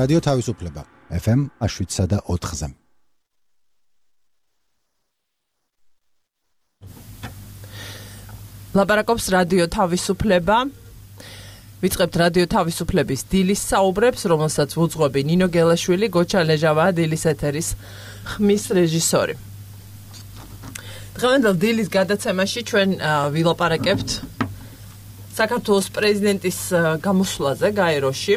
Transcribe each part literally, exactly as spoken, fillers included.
რადიო თავისუფლება ეფ ემ შვიდსა და ოთხზე. ლაპარაკობს რადიო თავისუფლება. ვიწყებთ რადიო თავისუფლების დილის საუბრებს, რომელსაც ვუძღვები ნინო გელაშვილი, გოჩა ლეჟავა, დილის ეთერის ხმის რეჟისორი. დღევანდელ დილის გადაცემაში ჩვენ ვილაპარაკებთ საქართველოს პრეზიდენტის გამოსვლაზე გაეროში.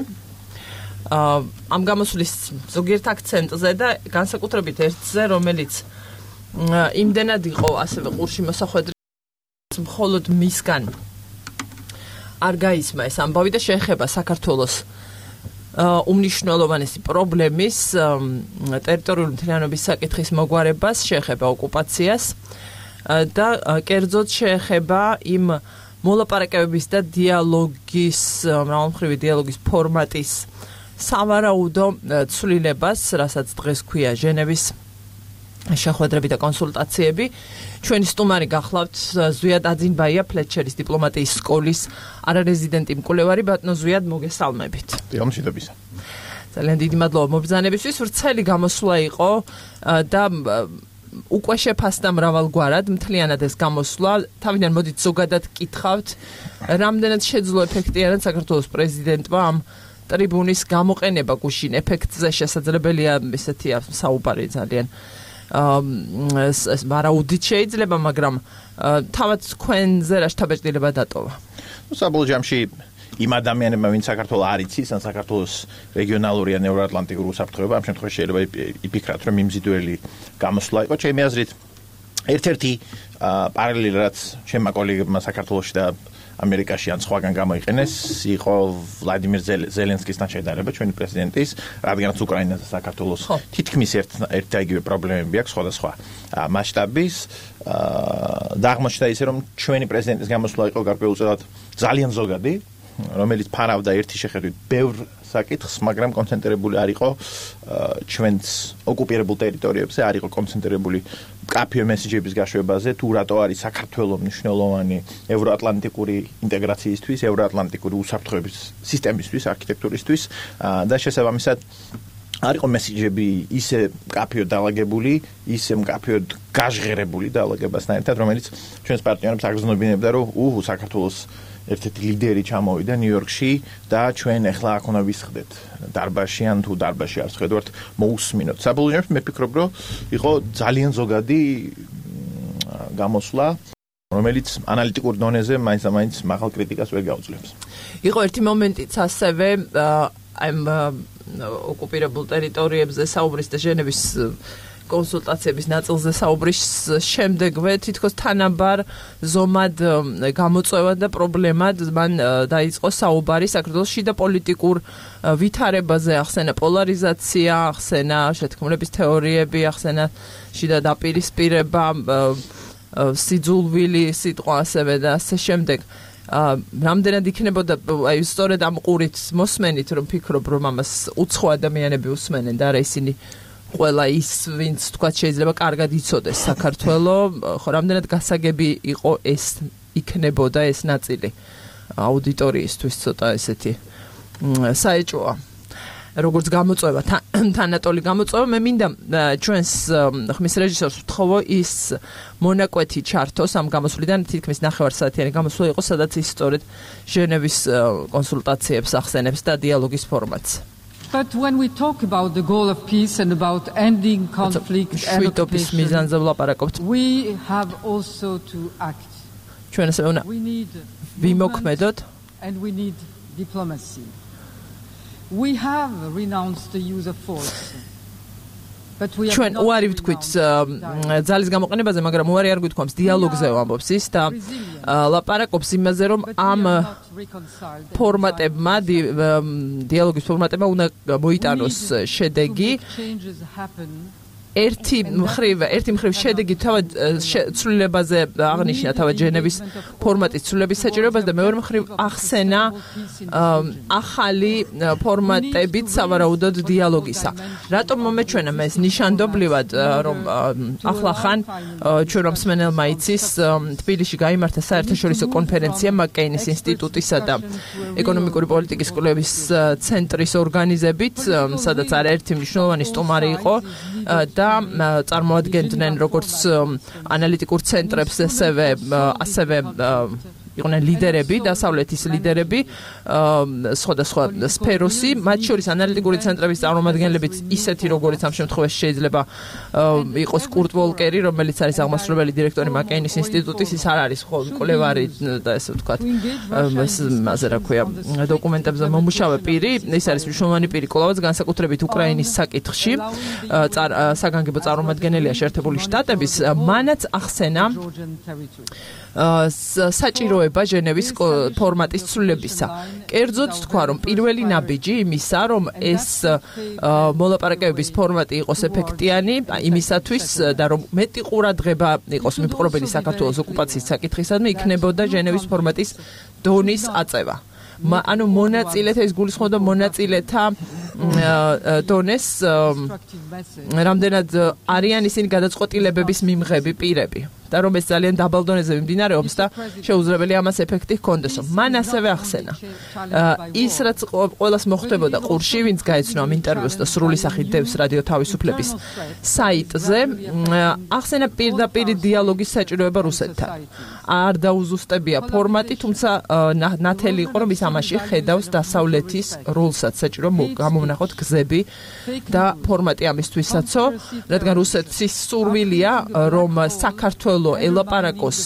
ამ გამოსვლის ზოგიერთ აქცენტზე და განსაკუთრებით ერთზე, რომელიც იმდენად იყო ასევე ყურში მოსახვედრი, მხოლოდ მისგან არ გაისმა ეს ამბავი და შეეხება საქართველოს უმნიშვნელოვანესი პრობლემის ტერიტორიული მთლიანობის საკითხის მოგვარებას, შეეხება ოკუპაციას და კერძოდ შეეხება იმ მოლაპარაკებების და დიალოგის, მრავალმხრივი დიალოგის ფორმატის სავარაუდო ცვლილებას, რასაც დღეს ქვია ჟენევის შეხვედრები და კონსულტაციები. ჩვენი სტუმარი გახლავთ ზვიად აძინბაია, ფლეტჩერის დიპლომატიის სკოლის არარეზიდენტი მკვლევარი. ბატონო ზვიად, მოგესალმებით. მშვიდობისა. ძალიან დიდი მადლობა მობრძანებისთვის. ვრცელი გამოსვლა იყო და უკვე შეფასდა მრავალგვარად მთლიანად ეს გამოსვლა. თავიდან მოდით ზოგადად კითხავთ, რამდენად შეძლო ეფექტიანად საქართველოს პრეზიდენტმა ამ ტრიბუნის გამოყენება გუშინ ეფექტზე შესაძლებელია ესეთია საუბარი ძალიან ვარაუდით შეიძლება, მაგრამ თავად თქვენზე რა შთაბეჭდილება დატოვა? ნუ საბოლოო ჯამში იმ ადამიანებმა, ვინც საქართველოს არ იცის, ან საქართველოს რეგიონალური ან ევროატლანტიკური უსაფრთხოება, ამ შემთხვევაში შეიძლება იფიქრათ, რომ მიმზიდველი გამოსვლა იყო. ჩემი აზრით, ერთ-ერთი პარალელი, რაც ჩემმა კოლეგებმა საქართველოში და ამერიკაში ან სხვაგან გამოიყენეს, იყო ვლადიმერ ზელენსკისთან შედარება, ჩვენი პრეზიდენტის, რადგანაც უკრაინასა და საქართველოს თითქმის ერთ და იგივე პრობლემები აქვს სხვადასხვა მასშტაბის. და აღმოჩნდა ისე, რომ ჩვენი პრეზიდენტის გამოსვლა იყო გარკვეულწილად ძალიან ზოგადი, რომელიც ფარავდა ერთი შეხედვით ბევრ საკითხს, მაგრამ კონცენტრირებული არ იყო ჩვენს ოკუპირებულ ტერიტორიებზე, არ იყო კონცენტრირებული მკაფიო მესიჯების გაშვებაზე, თუ რატო არის საქართველოს მნიშვნელოვანი ევროატლანტიკური ინტეგრაციისთვის, ევროატლანტიკური უსაფრთხოების სისტემისთვის, არქიტექტურისთვის და შესაბამისად არ იყო მესიჯები ისე მკაფიოდ დალაგებული, ისე მკაფიოდ გაჟღერებული დალაგებასთან ერთად, რომელიც ჩვენს პარტნიორებს აგრძნობინებდა, რომ უჰუ საქართველოს ერთ-ერთი ლიდერი ჩამოვიდა ნიუ-იორკში და ჩვენ ახლა აქ უნდა ვისხდეთ დარბაზში ან თუ დარბაზში არ ვხედავთ მოусმინოთ. საბოლოო ჯამში მე ვფიქრობ, რომ იყო ძალიან ზოგადი გამოსვლა, რომელიც ანალიტიკურ დონეზე მაინც და მაინც მაღალ კრიტიკას ვერ გაუძლებს. იყო ერთი მომენტიც ასევე ამ ოკუპირებულ ტერიტორიებზე საუბრის და ჟენევის კონსულტაციების ნაწილზე საუბრის შემდეგვე თითქოს თანაბარ ზომად გამოწვევა და პრობლემად მან დაიწყო საუბარი საქართველოს შიდა პოლიტიკურ ვითარებაზე, ახსენა პოლარიზაცია, ახსენა შეთქმულების თეორიები, ახსენა შიდა დაპირისპირება, სიძულვილი სიტყვა ასევე და ასე შემდეგ. რამდენად იქნებოდა აი სწორედ ამ ყურით მოსმენით, რომ ფიქრობ, რომ ამას უცხო ადამიანები უსმენენ და არა ისინი ყველა ის, ვინც თქვა შეიძლება კარგად იცოდეს საქართველოს, ხო რამდენად გასაგები იყო ეს იქნებოდა ეს ნაწილი აუდიტორიისთვის ცოტა ესეთი საეჭვოა. როგორც გამოწვევა, თანატოლი გამოწვევა, მე მინდა ჩვენს ხმის რეჟისორს ვთხოვო ის მონაკვეთი ჩართოს ამ გამოსვლიდან, თითქმის ნახევარსაათიანი გამოსვლა იყო, სადაც ის სწორედ ჟენევის კონსულტაციებს ახსენებს და დიალოგის ფორმატს. But when we talk about the goal of peace and about ending conflict and occupation, we have also to act. We need movement and we need diplomacy. We have renounced the use of force. ჩვენ უარი ვთქვით ძალის გამოყენებაზე, მაგრამ უარი არ გვითქვამს დიალოგზე ვამბობს ის და ლაპარაკობს იმაზე, რომ ამ ფორმატებმა, დიალოგის ფორმატებმა უნდა მოიტანოს შედეგი ერთი მხრივ ერთი მხრივ შედეგი თავად ცვლილებაზე აღნიშნა თავად ჟენევის ფორმატის ცვლილების საჭიროებას და მეორე მხრივ ახსენა ახალი ფორმატებით სავარაუდოდ დიალოგისა. რატომ მომეჩვენა ეს ნიშანდობლივად რომ ახლახან ჩვენ რომ მსმენელმა იცის თბილისში გაიმართა საერთაშორისო კონფერენცია მაკეინის ინსტიტუტისა და ეკონომიკური პოლიტიკის კვლევის ცენტრის ორგანიზებით, სადაც არაერთი მნიშვნელოვანი სტუმარი იყო და წარმოადგენდნენ როგორც ანალიტიკურ ცენტრებს ასევე ასევე იყვნენ ლიდერები, დასავლეთის ლიდერები, სხვადასხვა სფეროსი, მათ შორის ანალიტიკური ცენტრების წარმომადგენლებიც ისეთი, როგორც ამ შემთხვევაში შეიძლება იყოს კურტ ვოლკერი, რომელიც არის აღმასრულებელი დირექტორი მაკეინის ინსტიტუტის, ის არ არის ხოლმე კვლევარი და ესე ვთქვათ, ეს მასე რა ქვია, დოკუმენტებზე მომუშავე პირი, ის არის მნიშვნელოვანი პირი კვლავაც განსაკუთრებით უკრაინის საკითხში, საგანგებო წარმომადგენელია შეერთებული შტატების, მანაც ახსენა საჭიროება ჟენევის ფორმატის ცვლილებისა. კერძოდ თქვა, რომ პირველი ნაბიჯი იმისა, რომ ეს მოლაპარაკებების ფორმატი იყოს ეფექტიანი, იმისათვის და რომ მეტი ყურადღება იყოს მიპყრობელი საქართველოს ოკუპაციის საკითხისადმი, იქნებოდა ჟენევის ფორმატის დონის აწევა. ანუ მონაწილეთა ის გულისხმობდა მონაწილეთა დონეს რამდენად არიან ისინი გადაწყვეტილებების მიმღები პირები და რომ ეს ძალიან დაბალ დონეზე მიმდინარეობს და შეუძლებელი ამას ეფექტი ჰქონდეს. მან ასევე ახსენა ის რაც ყველას მოხდებოდა ყურში, ვინც გაეცნო ამ ინტერვიუს და სრული სახით დევს რადიო თავისუფლების საიტზე, ახსენა პირდაპირ დიალოგის საჭიროება რუსეთთან. არ დაუზუსტებია ფორმატი, თუმცა ნათელი იყო რომ ის ამაში ხედავს დასავლეთის როლსაც, საჭირო გამოვნახოთ გზები და ფორმატი ამისთვისაცო, რადგან რუსეთის სურვილია რომ საქართველოს ელაპარაკოს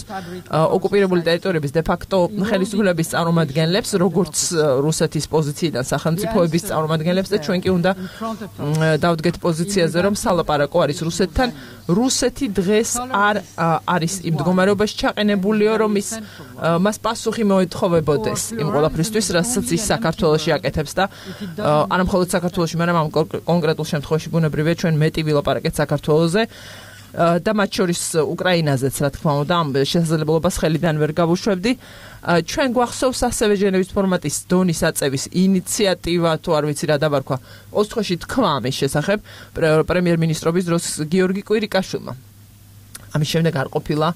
ოკუპირებული ტერიტორიების დე-ფაქტო ხელისუფლების წარმომადგენლებს, როგორც რუსეთის პოზიციიდან სახელმწიფოების წარმომადგენლებს და ჩვენ კი უნდა დავდგეთ პოზიციაზე, რომ სალაპარაკო არის რუსეთთან. რუსეთი დღეს არ არის იმ მდგომარეობაში ჩაყენებულიო, რომ ის მას პასუხი მოეთხოვებოდეს იმ ყველაფრისთვის, რასაც ის საქართველოში აკეთებს და არა მხოლოდ საქართველოში, მაგრამ ამ კონკრეტულ შემთხვევაში ბუნებრივია ჩვენ მეტი ვილაპარაკეთ საქართველოზე. და მათ შორის უკრაინაზეც, რა თქმა უნდა, ამ შესაძლებლობას ხელიდან ვერ გავუშვებდი. ჩვენ გვახსოვს ასევე ჟენევის ფორმატის დონის აწევის ინიციატივა, თუ არ ვიცი რა დაბარქვა, ოსტხოში თქვა ამის შესახებ პრემიერ-მინისტრობის დროს გიორგი კვირიკაშვილმა. ამის შემდეგ არ ყოფილა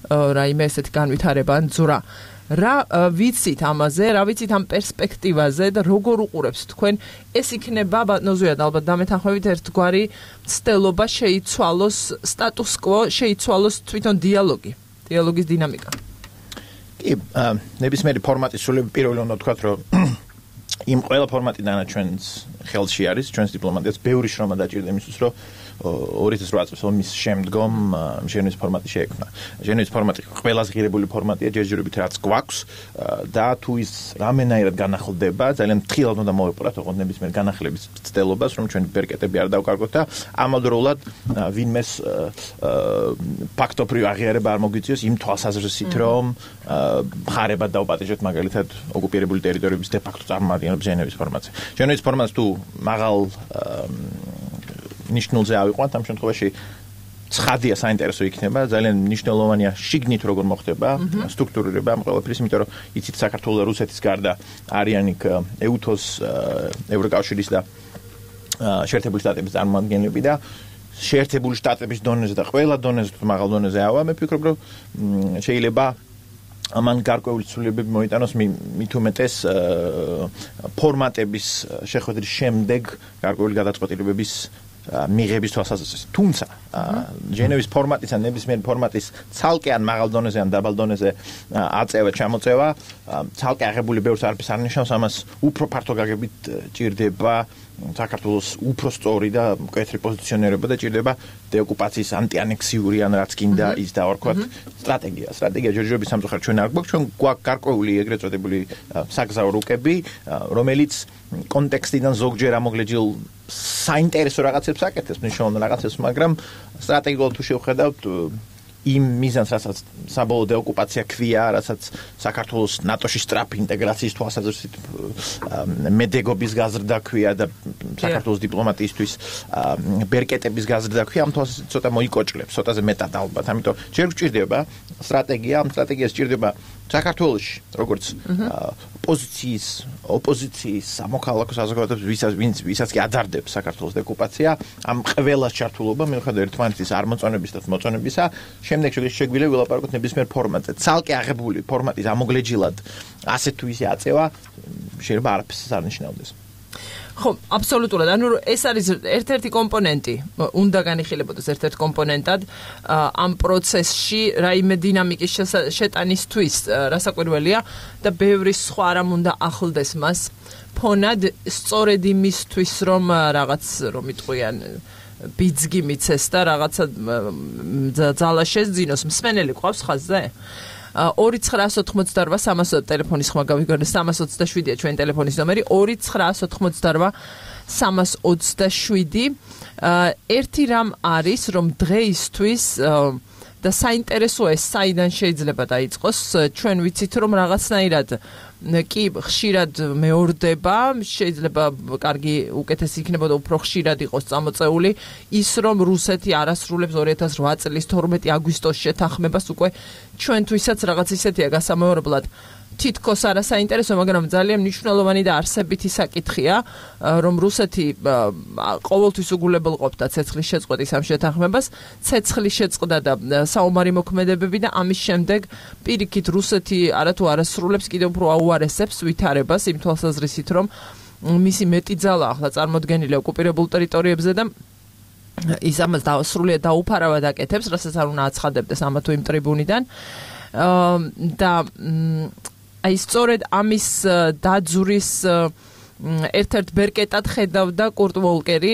რაიმე ესეთი განვითარება ან ძვრა. რა ვიცით ამაზე, რა ვიცით ამ პერსპექტივაზე და როგორ უყურებთ თქვენ, ეს იქნება ბატონოზუად ალბათ დამეთანხმებით ერთგვარი ცდელობა შეიცვალოს სტატუს კვო, შეიცვალოს თვითონ დიალოგი, დიალოგის დინამიკა. კი, ნებისმიერი ფორმატის სულები პირველი უნდა ვთქვათ, რომ იმ ყველა ფორმატიდან ჩვენს ხელში არის, ჩვენს დიპლომატიას ბევრი შრომა დაჭირდა იმისთვის, რომ ორი ათას ოთხ წელს ომის შემდგომ ჟენევის ფორმატი შეექმნა. ჟენევის ფორმატი ყველაზე ღირებული ფორმატია ჯერჯერობით რაც გვაქვს და თუ ის რამენაირად განახლდება, ძალიან ფრთხილად უნდა მოვეპყრათ ოღონდ ნებისმიერ განახლების ცდელობას, რომ ჩვენი ბერკეტები არ დავკარგოთ და ამავდროულად ვინმეს ფაქტობრივ აღიარება არ მოგვიწიოს იმ თვალსაზრისით, რომ მხარებად დავპატიჟოთ მაგალითად ოკუპირებული ტერიტორიების დე-ფაქტო წარმომადგენლებს ჟენევის ფორმატზე. ჟენევის ფორმატს თუ მაღალ ნიშნულზე ავიყვანთ, ამ შემთხვევაში ცხადია საინტერესო იქნება, ძალიან მნიშვნელოვანია შიგნით როგორ მოხდება სტრუქტურირება ამ ყველაფრის, იმიტომ რომ იცით საქართველოს და რუსეთის გარდა არიან იქ ეუთოს, ევროკავშირის და შეერთებული შტატების წარმომადგენლები და შეერთებული შტატების დონეზე და ყველა დონეზე, მაღალ დონეზე ავა, მე ვფიქრობ, რომ შეიძლება ამან გარკვეული ცვლილებები მოიტანოს მით უმეტეს ფორმატების შეხვედრის შემდეგ გარკვეული გადაწყვეტილებების მიღების თვალსაზრისით. თუმცა ჟენევის ფორმატის ან ნებისმიერი ფორმატის ცალკე ან მაღალ დონეზე ან დაბალ დონეზე აწევა, ჩამოწევა, ცალკე აღებული ბევრს არაფერს არ ნიშნავს, ამას უფრო ფართო გაგებით ჭირდება საქართველოს უფრო სწორი და მკვეთრი პოზიციონირება და ჭირდება დეოკუპაციის ანტიანექსიური ან რაც კიდე ის დავარქვათ სტრატეგია. სტრატეგია ჯერჯერობით სამწუხაროდ ჩვენ არ გვაქვს, ჩვენ გვაქვს გარკვეული ეგრეთ წოდებული საგზაო რუკები, რომელიც კონტექსტიდან ზოგჯერ ამოგლეჯილ საინტერესო რაღაცებს აკეთებს, მნიშვნელოვან რაღაცებს, მაგრამ სტრატეგიულად თუ შევხედავთ იმ მიზანს, რასაც საბოლოო დეოკუპაცია ქვია, რასაც საქართველოს ნატოში სწრაფი ინტეგრაციის თვალსაზრისით მედეგობის გაზრდა ქვია და საქართველოს დიპლომატიისთვის ბერკეტების გაზრდა ქვია, ამ თვალსაზრისით ცოტა მოიკოჭლებს, ცოტაზე მეტად ალბათ. ამიტომ ჯერ გვჭირდება სტრატეგია, ამ სტრატეგიას სჭირდება საქართველოში, როგორც ოპოზიციის, ოპოზიციის სამოქალაქო საზოგადოებას, ვისაც ვინც ვისაც კი აძარდებს საქართველოს დეკუპაცია, ამ ყველას ჩართულობა მიუხედავად ერთმანეთის არ მოწონების და მოწონებისა, შემდეგ შეგვიძლია ვილაპარაკოთ ნებისმიერ ფორმატზე. ცალკე აღებული ფორმატის ამოგლეჯილად ასე თუ ისე აწევა შეიძლება არაფერს არ ნიშნავდეს. ხო, აბსოლუტურად. ანუ ეს არის ერთ-ერთი კომპონენტი, უნდა განიხილებოდეს ერთ-ერთ კომპონენტად ამ პროცესში, რაიმე დინამიკის შეტანისთვის, რასაკვირველია და ბევრი სხვა რამ უნდა ახლდეს მას. ფონად სწორედ იმისთვის, რომ რაღაც რომ იტყვიან ბიძგი მიცეს და რაღაცა ძალა შეძინოს, მსმენელი ყავს ხაზზე? ორი ცხრაას ოთხმოცდარვა სამას ტელეფონის ხმა გავიგონე სამას ოცდაშვიდია ჩვენი ტელეფონის ნომერი ორი ცხრაას ოთხმოცდარვა სამას ოცდაშვიდი ერთი რამ არის რომ დღეისთვის და საინტერესოა ეს საიდან შეიძლება დაიწყოს ჩვენ ვიცით რომ რაღაცნაირად კი ხშირად მეორდება შეიძლება კარგი უკეთესი იქნებოდა უფრო ხშირად იყოს წამოწეული ის რომ რუსეთი არასრულებს ორი ათას ოთხ წლის თორმეტი აგვისტოს შეთანხმებას უკვე ჩვენთვისაც რაღაც ისეთია გასამეორებლად თითქოს არა საინტერესო მაგრამ ძალიან მნიშვნელოვანი და არსებითი საკითხია რომ რუსეთი ყოველთვის უგულებელყოფდა ცეცხლის შეწყვეტის ამ შეთანხმებას ცეცხლის შეწყვეტა და საომარი მოქმედებები და ამის შემდეგ პირიქით რუსეთი არათუ არასრულებს კიდევ უფრო აუარესებს ვითარებას იმ თვალსაზრისით რომ მისი მეტი ძალა ახლა წარმოდგენილია ოკუპირებულ ტერიტორიებზე და ის ამას სრულიად დაუფარავად აკეთებს რასაც არ უნდა აცხადებდეს ამა თუ იმ ტრიბუნიდან და აი სწორედ ამის დაძვრის ერთ-ერთ ბერკეტად ხედავდა კურტ ვოლკერი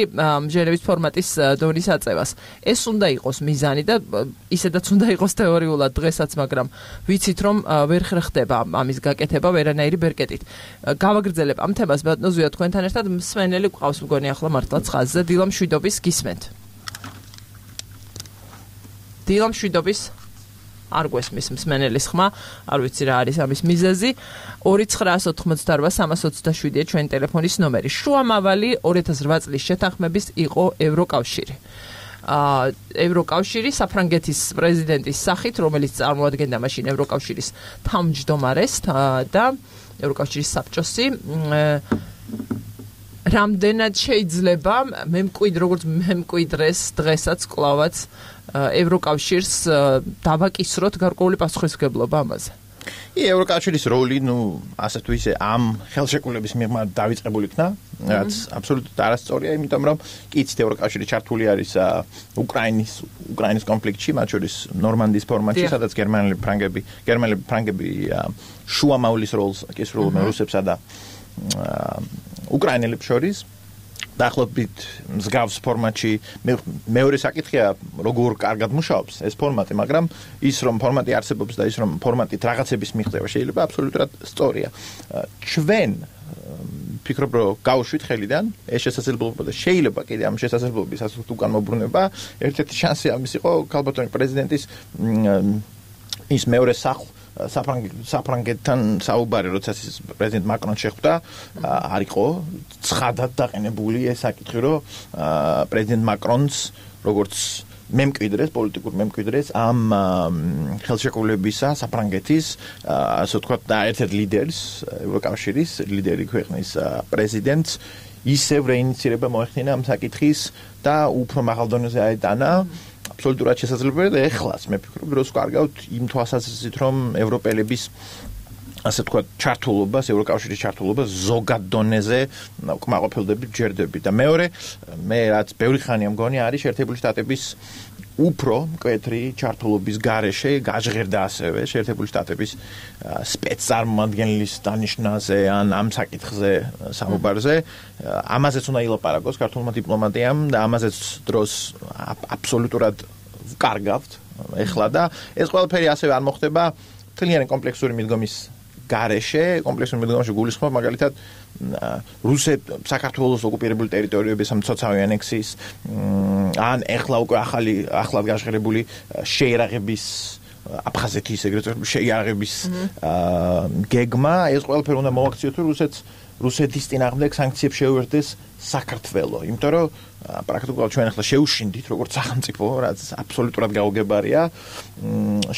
ჟენევის ფორმატის დონის აწევას. ეს უნდა იყოს მიზანი და ისედაც უნდა იყოს თეორიულად დღესაც, მაგრამ ვიცით რომ ვერ ხდება ამის გაკეთება ვერანაირი ბერკეტით. გავაგრძელებ ამ თემას ბატონო ზვია თქვენთან ერთად მსმენელი გვყავს მგონი ახლა მართლაც ხაზზე დილა მშვიდობის გისმენთ. დილა მშვიდობის არ გვესმის მსმენელის ხმა, არ ვიცი რა არის ამის მიზეზი. ორი ცხრაას ოთხმოცდარვა სამას ოცდაშვიდია ჩვენი ტელეფონის ნომერი. შუამავალი ორი ათას ოთხ წლის შეთანხმების იყო ევროკავშირი. აა ევროკავშირი საფრანგეთის პრეზიდენტის სახით, რომელიც წარმოადგენდა მაშინ ევროკავშირის თავმჯდომარეს და ევროკავშირის საბჭოსი რამდენად შეიძლება მემკვიდრ როგორც მემკვიდრეს დღესაც კლავაც ევროკავშირს დავაკისროთ გარკვეული პასუხისმგებლობა ამაზე. ი ევროკავშირის როლი, ნუ ასე თუ ისე ამ ხელშეკრულების მიღმა დავიწყებული იქნა, რაც აბსოლუტურად არასწორია, იმიტომ რომ კი იცით ევროკავშირი ჩართული არის უკრაინის უკრაინის კონფლიქტში, მათ შორის ნორმანდიის ფორმატში, სადაც გერმანელი ფრანგები, გერმანელი ფრანგები შუამავლის როლს აკისრულებენ რუსებსა და უკრაინელებს შორის. დაახლოებით მსგავს ფორმატში მეორე საკითხია როგორ კარგად მუშაობს ეს ფორმატი, მაგრამ ის რომ ფორმატი არსებობს და ის რომ ფორმატით რაღაცების მიღწევა შეიძლება აბსოლუტურად სწორია. ჩვენ ფიქრობ რომ გავუშვით ხელიდან ეს შესაძლებლობა და შეიძლება კიდე ამ შესაძლებლობის ასეთ უკან მოbrunება ერთ-ერთი შანსი ამის იყო ქალბატონი პრეზიდენტის ის მეორე სახლ საფრანგეთთან საუბარი, როცა პრეზიდენტ მაკრონ შეხვდა, არ იყო ცხადად დაყენებული ეს საკითხი, რომ პრეზიდენტ მაკრონს როგორც მემკვიდრეს, პოლიტიკურ მემკვიდრეს ამ ხელშეკრულებისა საფრანგეთის, ასე ვთქვათ, და ერთ-ერთ ლიდერს, ევროკავშირის ლიდერი ქვეყნის პრეზიდენტს ისევ რეინიცირება მოეხდინა ამ საკითხის და უფრო მაღალ დონეზე აეტანა. აბსოლუტურად შესაძლებელია და ეხლაც მე ფიქრობ დროს კარგავთ იმ თვალსაზრისით რომ ევროპელების ასე ვთქვათ ჩართულობას ევროკავშირის ჩართულობას ზოგად დონეზე უკმაყოფილდებით ჯერდები და მეორე მე რაც ბევრი ხანია მგონი არის შეერთებული შტატების უფრო მკვეთრი ჩართულობის გარეშე გაჟღერდა ასევე შეერთებული შტატების სპეცწარმომადგენლის დანიშნაზე ან ამ საკითხზე საუბარზე ამაზეც უნდა ილაპარაკოს ქართულმა დიპლომატიამ და ამაზეც დროს აბსოლუტურად ვკარგავთ ეხლა და ეს ყველაფერი ასევე არ მოხდება თლიანი კომპლექსური მიდგომის გარეშე კომპლექსურ მიდგომაში გულისხმობ მაგალითად რუსეთ საქართველოს ოკუპირებული ტერიტორიების მცოცავი ანექსიის ან ეხლა უკვე ახალი ახლად გაშღერებული შეიარაღების აფხაზეთის ეგრეთ წოდებული შეიარაღების გეგმა ეს ყველაფერი უნდა მოაქციოთ რომ რუსეთს რუსეთის წინააღმდეგ სანქციებს შეუერთდეს საქართველო იმიტომ რომ პრაქტიკულად ჩვენ ახლა შეუშინდით როგორც სახელმწიფო რაც აბსოლუტურად გაუგებარია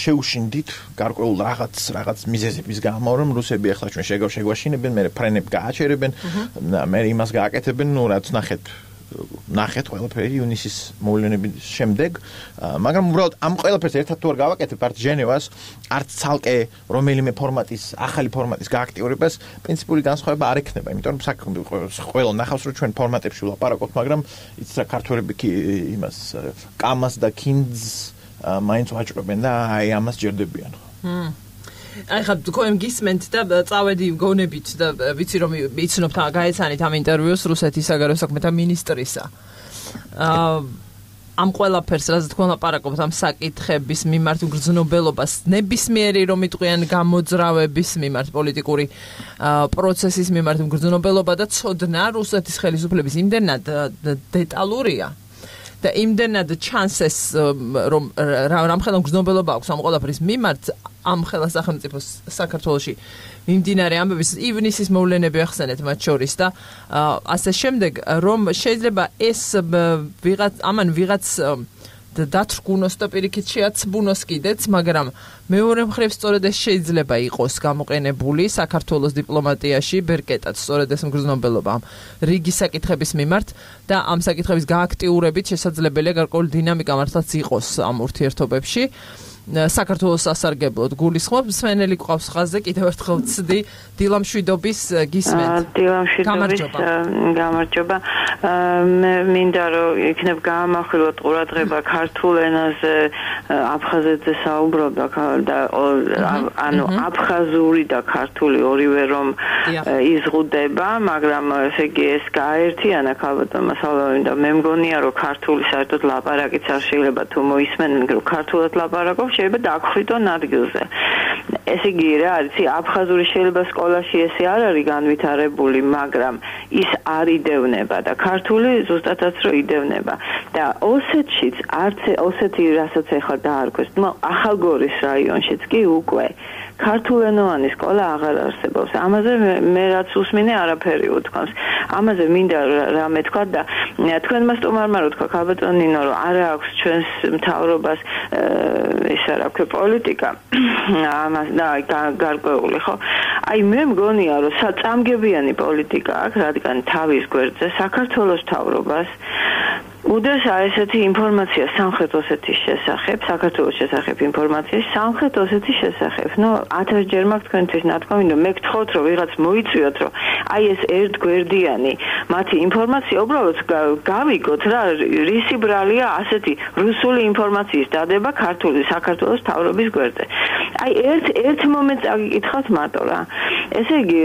შეუშინდით გარკვეულ რაღაც რაღაც მიზეზების გამო რომ რუსები ახლა ჩვენ შეგვაშინებენ მე ფრენები გააჩერებენ მე იმას გააკეთებენ ნუ რაც ნახეთ ნახეთ ყველაფერი ივნისის მოვლენების შემდეგ მაგრამ უბრალოდ ამ ყველაფერს ერთად თუ არ გავაკეთებ არც ჟენევას არც ცალკე რომელიმე ფორმატის ახალი ფორმატის გააქტიურებას პრინციპული განსხვავება არ ექნება იმიტომ რომ ყველა ნახავს რომ ჩვენ ფორმატებში ვლაპარაკობთ მაგრამ იცით რა ქართველები იმას კამას და კინძს მაინც ვაჭრობენ და აი ამას ჯერდებიან აი ხა თქვენ გისმენთ და წავედი გონებით და ვიცი რომ იცნობთ გაეცანით ამ ინტერვიუს რუსეთის საგარეო საქმეთა მინისტრისა აა ამ ყველაფერს რაც თქვენ ლაპარაკობთ ამ საკითხების მიმართ გრძნობელობას ნებისმიერი რომ იტყვიან გამოძრავების მიმართ პოლიტიკური პროცესის მიმართ გრძნობელობა და ცოდნა რუსეთის ხელისუფლების იმდენად დეტალურია და იმდენად ჩანსეს რომ რამხელა გრძნობელობა აქვს ამ ყველაფრის მიმართ ამ ხელა სახელმწიფოს საქართველოში მიმდინარე ამბების ივნისის მოვლენები ახსენეთ მათ შორის და ასე შემდეგ რომ შეიძლება ეს ვიღაც ამან ვიღაც დათრგუნოს და პირიქით შეაცბუნოს კიდეც მაგრამ მეორე მხრივ სწორედ ეს შეიძლება იყოს გამოყენებული საქართველოს დიპლომატიაში ბერკეტად სწორედ ეს მგრძნობელობა რიგი საკითხების მიმართ და ამ საკითხების გააქტიურებით შესაძლებელია გარკვეული დინამიკა მართლაც იყოს ამ ურთიერთობებში საქართველოს სასარგებლოდ გულისხმობ მსმენელი ყავს ხაზზე კიდევ ერთხელ ვცდი დილამშვიდობის გისმენთ დილამშვიდობის გამარჯობა მე მინდა რომ იქნებ გაამახვილოთ ყურადღება ქართულ ენაზე აფხაზეთზე საუბრობდა და ანუ აფხაზური და ქართული ორივე რომ იზღუდება მაგრამ ესე იგი ეს გააერთიანა ქალბატონმა სალავინ და მე მგონია რომ ქართული საერთოდ ლაპარაკიც არ შეიძლება თუ მოისმენენ რომ ქართულად ლაპარაკობ შეიძლება დაგხვიდონ ადგილზე. ესე იგი რა არის, აფხაზური შეიძლება სკოლაში ესე არ არის განვითარებული, მაგრამ ის არ იდევნება და ქართული ზუსტადაც რო იდევნება. და ოსეთშიც არც ოსეთი რასაც ეხლა დაარქვეს, ნუ ახალგორის რაიონშიც კი უკვე ქართულენოვანი სკოლა აღარ არსებობს. ამაზე მე რაც უსმინე არაფერი უთქვამს. ამაზე მინდა რამე თქვა და თქვენმა სტუმარმა რო თქვა ქალბატონინო რომ არ აქვს ჩვენს მთავრობას ეს რა ქვია პოლიტიკა ამას და გარკვეული ხო? აი მე მგონია რომ საწამგებიანი პოლიტიკა აქვს, რადგან თავის გვერდზე საქართველოს მთავრობას უდესა ესეთი ინფორმაცია სამხრეთ ოსეთის შესახებ, საქართველოს შესახებ ინფორმაცია სამხრეთ ოსეთის შესახებ. ნუ ათასჯერ მაქვს თქვენთვის ნათქვამი, რომ მე გთხოვთ რომ ვიღაც მოიწვიოთ, რომ აი ეს ერთგვერდიანი მათი ინფორმაცია უბრალოდ გავიგოთ რა, რისი ბრალია ასეთი რუსული ინფორმაციის დადება ქართული საქართველოს მთავრობის გვერდზე. აი ერთ ერთ მომენტს აგიკითხავთ მარტო რა. ესე იგი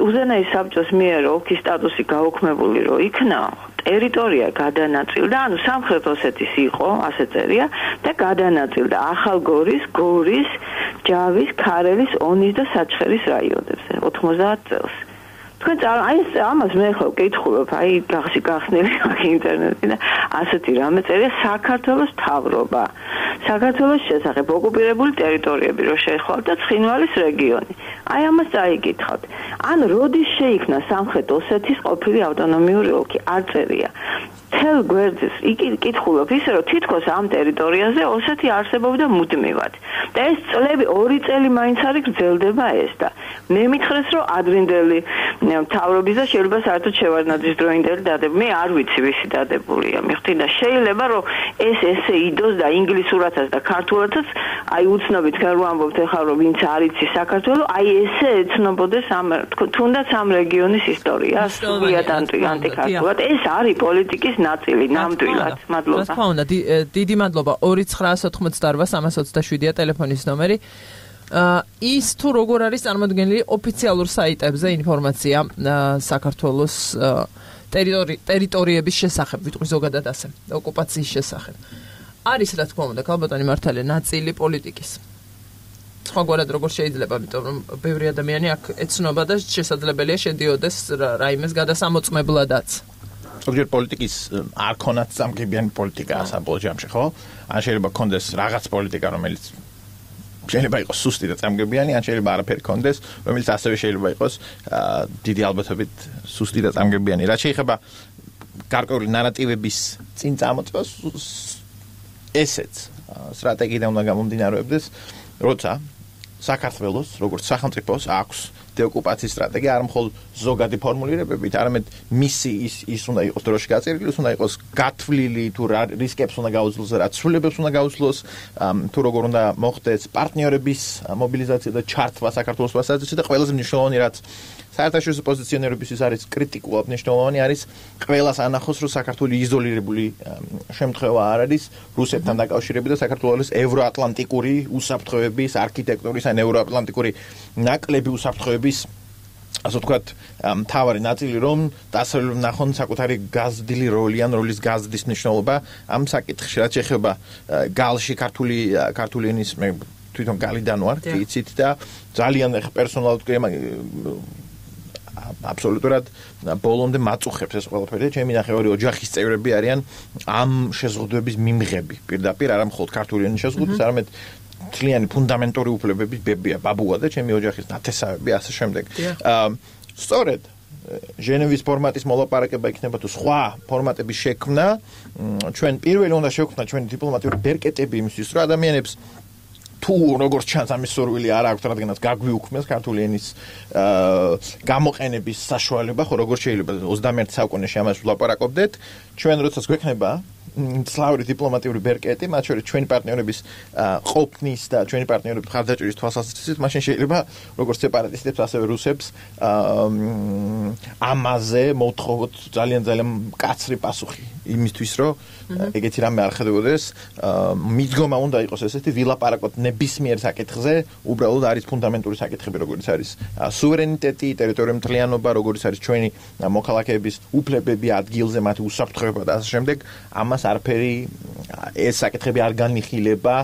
უზენაის საბჭოს მიერ ოლქის სტატუსი გაუქმებული რო იქნა ტერიტორია გადანაწილდა, ანუ სამხრეთ ოსეთის იყო, ასე წერია, და გადანაწილდა ახალგორის, გორის, ჯავის, ქარელის, ონის და საჩხერის რაიონებზე ოთხმოცდაათ წელს. თქვენ აი ამას მე ხო ვკითხულობ, აი გახსი გახსნილი აქ ინტერნეტში და ასეთი რამე წერია საქართველოს მთავრობა. საქართველოს შესახებ ოკუპირებული ტერიტორიები რო შეეხვალა და ცხინვალის რეგიონი. აი ამას წაიკითხავთ. ან როდის შეიქმნა სამხრეთ ოსეთის ყოფილი ავტონომიური ოლქი? არ წერია. თელ გვერდზე იკითხულობ ისე რომ თითქოს ამ ტერიტორიაზე ოსეთი არსებობდა მუდმივად. და ეს წლები ორი წელი მაინც არის გრძელდება ეს და მე მითხრეს რომ ადრინდელი მთავრობის და შეიძლება საერთოდ შევარდნაძის დროინდელი დადებული. მე არ ვიცი ვისი დადებულია. მიხდი და შეიძლება რომ ეს ესე იდოს და ინგლისურათაც და ქართულათაც აი უცნობით თქვენ რო ამბობთ ახლა რომ ვინც არ იცის საქართველოს, აი ესე ეცნობოდეს ამ თუნდაც ამ რეგიონის ისტორია, სულიად ანტიქართულად. ეს არის პოლიტიკის ნაწილი ნამდვილად. მადლობა. რა თქმა უნდა, დიდი მადლობა. ორი ცხრაას ოცდაოთხმოცდაორვა სამას ოცდაშვიდია ტელეფონის ნომერი. ის თუ როგორ არის წარმოდგენილი ოფიციალურ საიტებზე ინფორმაცია საქართველოს ტერიტორიების შესახებ, ვიტყვი ზოგადად ასე, ოკუპაციის შესახებ. არის რა თქმა უნდა, ქალბატონი მართალია ნაწილი პოლიტიკის. სხვაგვარად როგორ შეიძლება, იმიტომ რომ ბევრი ადამიანი აქ ეცნობა და შესაძლებელია შედიოდეს რაიმეს გადასამოწმებლადაც. ზოგჯერ პოლიტიკის არ ქონათ სამგებიანი პოლიტიკაა საბოლოო ჯამში, ხო? ან შეიძლება ქონდეს რაღაც პოლიტიკა, რომელიც შეიძლება იყოს სუსტი და წამგებიანი, ან შეიძლება არაფერი ქონდეს, რომელიც ასევე შეიძლება იყოს დიდი ალბათობით სუსტი და წამგებიანი. რაც შეიძლება გარკვეული ნარატივების წინ წამოწევას ესეც სტრატეგიიდან უნდა გამომდინარეობდეს, როცა საქართველოს როგორც სახელმწიფოს აქვს დეოკუპაციის სტრატეგია არ მხოლოდ ზოგადი ფორმულირებებით, არამედ მისი ის ის უნდა იყოს დროში გაწერილი, უნდა იყოს გათვლილი თუ რა რისკებს უნდა გაუძლოს, რა ცვლილებებს უნდა გაუძლოს, თუ როგორ უნდა მოხდეს პარტნიორების მობილიზაცია და ჩართვა საქართველოს მასაზრისით და ყველაზე მნიშვნელოვანი რაც საერთაშორისო პოზიციონირებისთვის არის კრიტიკულად მნიშვნელოვანი არის ყველას ანახოს რომ საქართველოს იზოლირებული შემთხვევა არ არის რუსეთთან დაკავშირებით და საქართველოს ევროატლანტიკური უსაფრთხოების არქიტექტურის ან ევროატლანტიკური ნაკლები უსაფრთხოების ასე ვთქვათ მთავარი ნაწილი რომ დასავლურ ნახონ საკუთარი გაზრდილი როლი ან როლის გაზრდის მნიშვნელობა ამ საკითხში რაც ეხება გალში ქართული ქართული ენის მე თვითონ გალიდან ვარ იცით და ძალიან პერსონალურად აბსოლუტურად ბოლომდე მაწუხებს ეს ყველაფერი. ჩემი ნახევარი ოჯახის წევრები არიან ამ შეზღუდვების მიმღები. პირდაპირ არა მხოლოდ ქართული ენის შეზღუდვის, არამედ თლიანი ფუნდამენტური უფლებების ბებია, ბაბუა და ჩემი ოჯახის ნათესავები ასე შემდეგ. სწორედ ჟენევის ფორმატის მოლაპარაკება იქნება თუ სხვა ფორმატების შექმნა, ჩვენ პირველი უნდა შევქმნა ჩვენი დიპლომატიური ბერკეტები იმისთვის, რომ ადამიანებს თუ როგორც ჩანს ამის სურვილი არ აქვს, რადგანაც გაგვიუქმეს ქართული ენის გამოყენების საშუალება, ხო როგორ შეიძლება ოცდამეერთე საუკუნეში ამას ვლაპარაკობდეთ, ჩვენ როდესაც გვექნება სლავური დიპლომატიური ბერკეტი, მათ შორის ჩვენი პარტნიორების ყოფნის და ჩვენი პარტნიორების ხარდაჭერის თვალსაზრისით, მაშინ შეიძლება როგორც სეპარატისტებს, ასევე რუსებს ამაზე მოთხოვოთ ძალიან ძალიან მკაცრი პასუხი იმისთვის, რომ ეგეთი რამე არ ხდებოდეს. მიდგომა უნდა იყოს ესეთი ვილაპარაკოთ ნებისმიერ საკითხზე, უბრალოდ არის ფუნდამენტური საკითხები, როგორც არის სუვერენიტეტი, ტერიტორიული მთლიანობა, როგორც არის ჩვენი მოქალაქეების უფლებები ადგილზე, მათი უსაფრთხოება და ასე შემდეგ. ამას არაფერი ეს საკითხები არ განიხილება,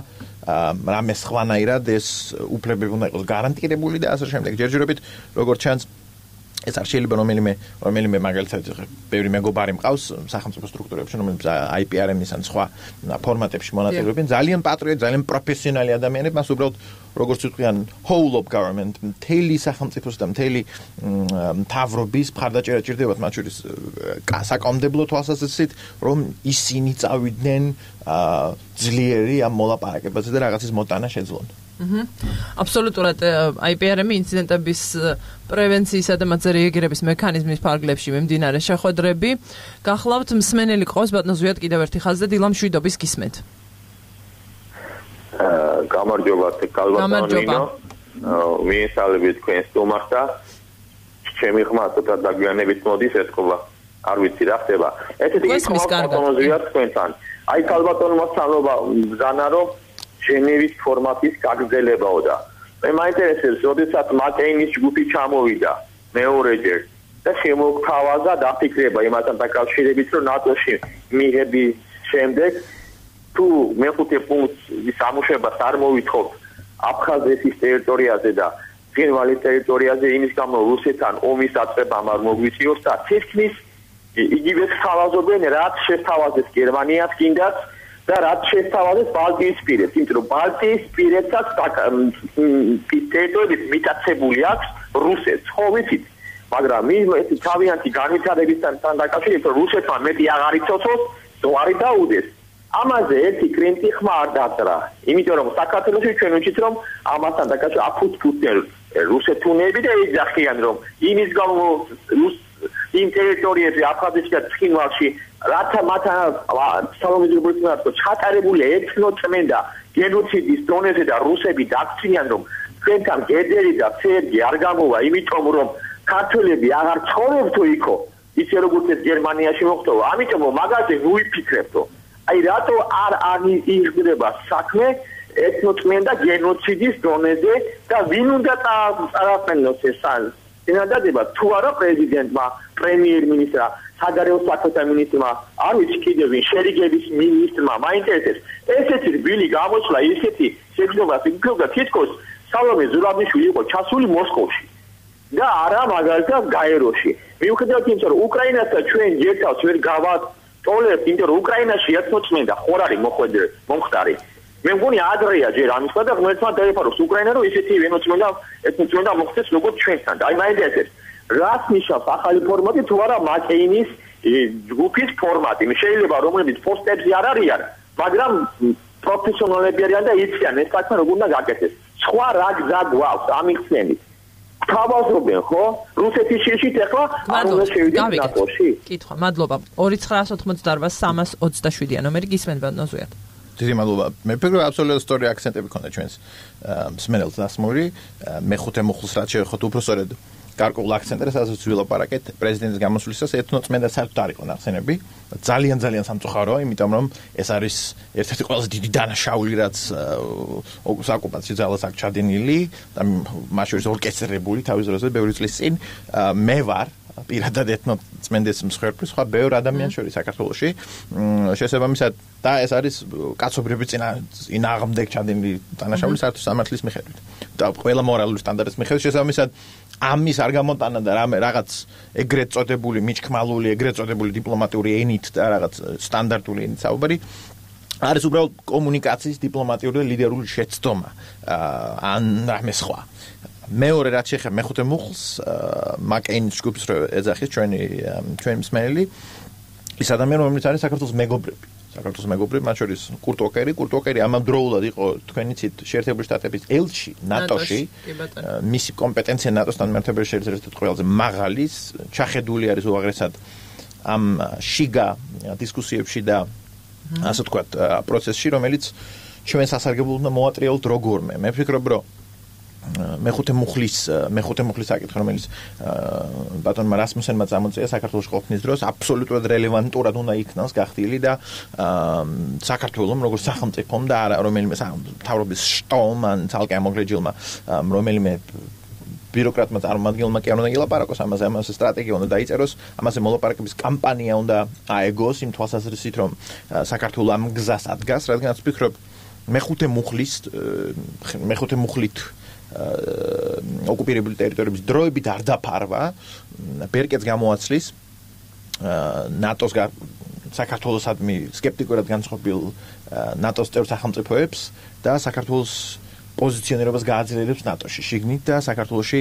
რამე სხვანაირად ეს უფლებები უნდა იყოს გარანტირებული და ასე შემდეგ. ჯერჯერობით როგორც ჩანს ეს არ შეიძლება რომელიმე რომელიმე მაგალითად ბევრი მეგობარი მყავს სახელმწიფო სტრუქტურებში, რომელსაც აი პი არ ემ-ის ან სხვა ფორმატებში მონაწილეობენ, ძალიან პატრიოტი, ძალიან პროფესიონალი ადამიანები, მას უბრალოდ როგორც ვიტყვიან whole of government, მთელი სახელმწიფოს და მთელი მთავრობის მხარდაჭერა ჭირდებათ, მათ შორის საკანონმდებლო თვალსაზრისით, რომ ისინი წავიდნენ ძლიერი ამ მოლაპარაკებაზე და რაღაცის მოტანა შეძლონ. აბსოლუტურად აი პი არ ემ ინციდენტების პრევენციისა და მათზე რეაგირების მექანიზმის ფარგლებში მიმდინარე შეხვედრები. გახლავთ მსმენელი ყავს ბატონ ზვიად კიდევ ერთი ხაზი და დილა მშვიდობის გისმენთ. გამარჯობა კალბატონინო. მიესალმებით თქვენ სტუმარს და ჩემი ხმა ცოტა დაგვიანებით მოდის ეთქობა. არ ვიცი რა ხდება. ესეთი ბატონ ზვიად თქვენთან. აი კალბატონმა სანობა ბრძანა რომ ჟენევის ფორმატის გაგრძელებაო და მე მაინტერესებს, როდესაც მაკეინის ჯგუფი ჩამოვიდა მეორეჯერ და შემოგთავაზა დაფიქრება იმასთან დაკავშირებით, რომ ნატოში მიღების შემდეგ თუ მეხუთე პუნქტის ამუშავებას არ მოვითხოვთ აფხაზეთის ტერიტორიაზე და ცხინვალის ტერიტორიაზე, იმის გამო რუსეთთან ომის დაწყებამ არ მოგვიწიოს და თითქმის იგივე თავაზობენ, რაც შეთავაზეს გერმანიას კიდაც და რაც შეთავაზეს ბალტიისპირეთს, იმიტომ რომ ბალტიისპირეთსაც ტერიტორიები მიტაცებული აქვს რუსეთს, ხო ვიცით, მაგრამ ეს თავიანთი განვითარებისთან დაკავშირებით რუსეთმა მეტი აღარ იცოცხლოს, ზღვარი დაუდეს. ამაზე ერთი კრენტი ხმა არ დაწერა, იმიტომ რომ საქართველოში ჩვენ ვიცით რომ ამასთან დაკავშირებით აფუძფუძნელ რუსეთუნები და ეძახიან რომ იმის გამო იმ ტერიტორიებზე აფხაზეთში და ცხინვალში რათა მათ სამომავლობრივ ჩატარებულია ეთნოწმენდა გენოციდის დონეზე და რუსები დაგწინიან რომ ჩვენთან გედერი და ცერგი არ გამოვა, იმიტომ რომ ქართველები აღარ ცხოვრობთ იქო, ისე როგორც ეს გერმანიაში მოხდა, ამიტომ მაგაზე ვუიფიქრებთო. აი რატო არ აღიდგება საქმე ეთნოწმენდა გენოციდის დონეზე და ვინ უნდა წარაყენოს ეს წინადადება თუ არა პრეზიდენტმა, პრემიერ-მინისტრმა, საგარეო საქმეთა მინისტრმა, არ ვიცი კიდევ ვინ, შერიგების მინისტრმა, მაინტერესებს ესეთი რბილი გამოსვლა, ისეთი შეგრძნობა, იქნება თითქოს სალომე ზურაბიშვილი იყო ჩასული მოსკოვში და არა მაგალითად გაეროში. მიუხედავად იმისა, რომ უკრაინასთან ჩვენ ერთავს ვერ გავატოლებთ, იმიტომ რომ უკრაინაში ეთნოწმენდა ხორ არის მოხვედრე, მომხდარი. მე მგონი ადრეა ჯერ ამის და ღმერთმა დაეფაროს უკრაინა, რომ ისეთი ეთნოწმენდა ეთნოწმენდა მოხდეს როგორც ჩვენთან. აი მაინც ეს რას ნიშნავს ახალი ფორმატი თუ არა მაკეინის ჯგუფის ფორმატი. შეიძლება რომლებიც პოსტებზე არ არიან, მაგრამ პროფესიონალები არიან და იციან ეს საქმე როგორ უნდა გაკეთდეს. სხვა რა გზა გვაქვს ამიხსენით. თავაზობენ ხო? რუსეთის შეშით ახლა არ უნდა შევიდეთ ნატოში? კითხვა, მადლობა. ორი ცხრა ოცდაოთხ სამას ოცდაშვიდია ნომერი გისმენთ ნოზუიათ. დიდი მადლობა. მე ვფიქრობ აბსოლუტურად სწორი აქცენტები ქონდა ჩვენს მსმენელს დასმული. მეხუთე მუხლს რაც შეეხოთ უფრო სწორედ გარკვეულ აქცენტებს, რასაც ვილაპარაკეთ პრეზიდენტის გამოსვლისას ეთნოწმენდა საერთოდ არ იყო ნახსენები. ძალიან ძალიან სამწუხაროა, იმიტომ რომ ეს არის ერთ-ერთი ყველაზე დიდი დანაშაული, რაც ოკუპაციის ძალას აქვს ჩადენილი და მათ შორის ორკესტრირებული თავის დროზე ბევრი წლის წინ. მე ვარ პირადად ეთნოწმენდის მსხვერპლი, სხვა ბევრ ადამიანს შორის საქართველოში. შესაბამისად და ეს არის კაცობრიობის წინააღმდეგ ჩადენილი დანაშაული საერთოდ სამართლის მიხედვით და ყველა მორალური სტანდარტის მიხედვით. შესაბამისად ამის არ გამოტანა და რაღაც ეგრეთ წოდებული მიჩქმალული, ეგრეთ წოდებული დიპლომატიური ენით და რაღაც სტანდარტული ენით საუბარი არის უბრალოდ კომუნიკაციის დიპლომატიური და ლიდერული შეცდომა ან რამე სხვა. მეორე რაც შეეხება მეხუთე მუხლს, მაკეინის ჯგუფს რო ეძახის ჩვენი ჩვენი მსმენელი, ის ადამიანი რომელიც არის საქართველოს მეგობრები. საქართველოს მეგობრები, მათ შორის კურტ ოკერი, კურტ ოკერი ამავდროულად იყო თქვენი ცით შეერთებული შტატების ელჩი ნატოში. მისი კომპეტენცია ნატოსთან მერთებების ერთ-ერთი ყველაზე მაღალი, ჩახედული არის უაღრესად ამ შიგა დისკუსიებში და ასე ვთქვათ, პროცესში, რომელიც ჩვენ სასარგებლოდ უნდა მოვატრიალოთ როგორმე. მე ვფიქრობ, რომ მეხუთე მუხლის მეხუთე მუხლის საკითხი, რომელიც ბატონმა რასმუსენმა წამოწია საქართველოს ყოფნის დროს, აბსოლუტურად რელევანტურად უნდა იქნას გახდილი და საქართველოს როგორც სახელმწიფომ და არა რომელიმე მთავრობის შტომ ან ცალკე ამოგრეჯილმა რომელიმე ბიუროკრატმა წარმომადგენელმა კი არ უნდა ილაპარაკოს ამაზე, ამაზე სტრატეგია უნდა დაიწეროს, ამაზე მოლაპარაკების კამპანია უნდა აეგოს იმ თვალსაზრისით, რომ საქართველოს ამ გზას ადგას, რადგანაც ვფიქრობ მეხუთე მუხლის მეხუთე მუხლით ოკუპირებული ტერიტორიების დროებით არ დაფარვა, ბერკეტს გამოაცლის ნატოს საქართველოსადმი სკეპტიკურად განწყობილ ნატოს წევრ სახელმწიფოებს და საქართველოს პოზიციონირებას გააძლიერებს ნატოში შიგნით და საქართველოში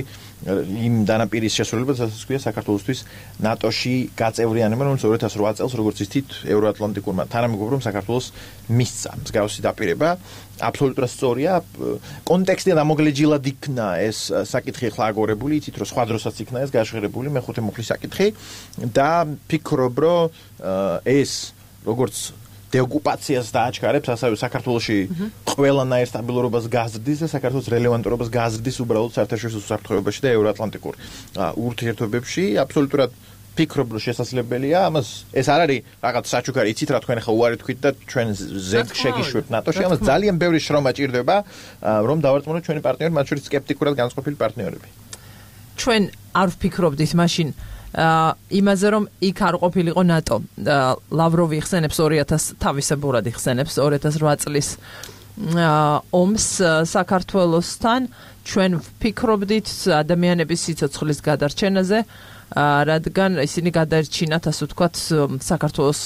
იმ დანაპირის შესრულებას, რასაც ქვია საქართველოსთვის ნატოში გაწევრიანება, რომელიც ორი ათას ოთხ წელს როგორც იცით ევროატლანტიკურმა თანამეგობრობამ საქართველოს მისცა მსგავსი დაპირება. აბსოლუტურად სწორია. კონტექსტი ამოგლეჯილად იქნა ეს საკითხი ახლა აგორებული, იცით რომ სხვა დროსაც იქნა ეს გაჟღერებული მეხუთე მუხლის საკითხი და ფიქრობ რომ ეს როგორც დეოკუპაციას დააჩქარებს, ასევე საქართველოში ყველანაირ სტაბილურობას გაზრდის და საქართველოს რელევანტურობას გაზრდის უბრალოდ საერთაშორისო უსაფრთხოებაში და ევროატლანტიკურ ურთიერთობებში. აბსოლუტურად ფიქრობ რომ შესაძლებელია, ამას ეს არ არის რაღაც საჩუქარი, იცით რა თქვენ ახლა უარი თქვით და ჩვენ ზეგ შეგიშვებთ ნატოში, ამას ძალიან ბევრი შრომა ჭირდება, რომ დავარწმუნოთ ჩვენი პარტნიორები, მათ შორის სკეპტიკურად განწყობილი პარტნიორები. ჩვენ არ ვფიქრობდით მაშინ იმაზე რომ იქ არ ყოფილიყო ნატო. ლავროვი იხსენებს ორი ათას თავისებურად იხსენებს ორი ათას ოთხ წლის ომს საქართველოსთან. ჩვენ ვფიქრობდით ადამიანების სიცოცხლის გადარჩენაზე, რადგან ისინი გადაერჩინათ, ასე ვთქვათ, საქართველოს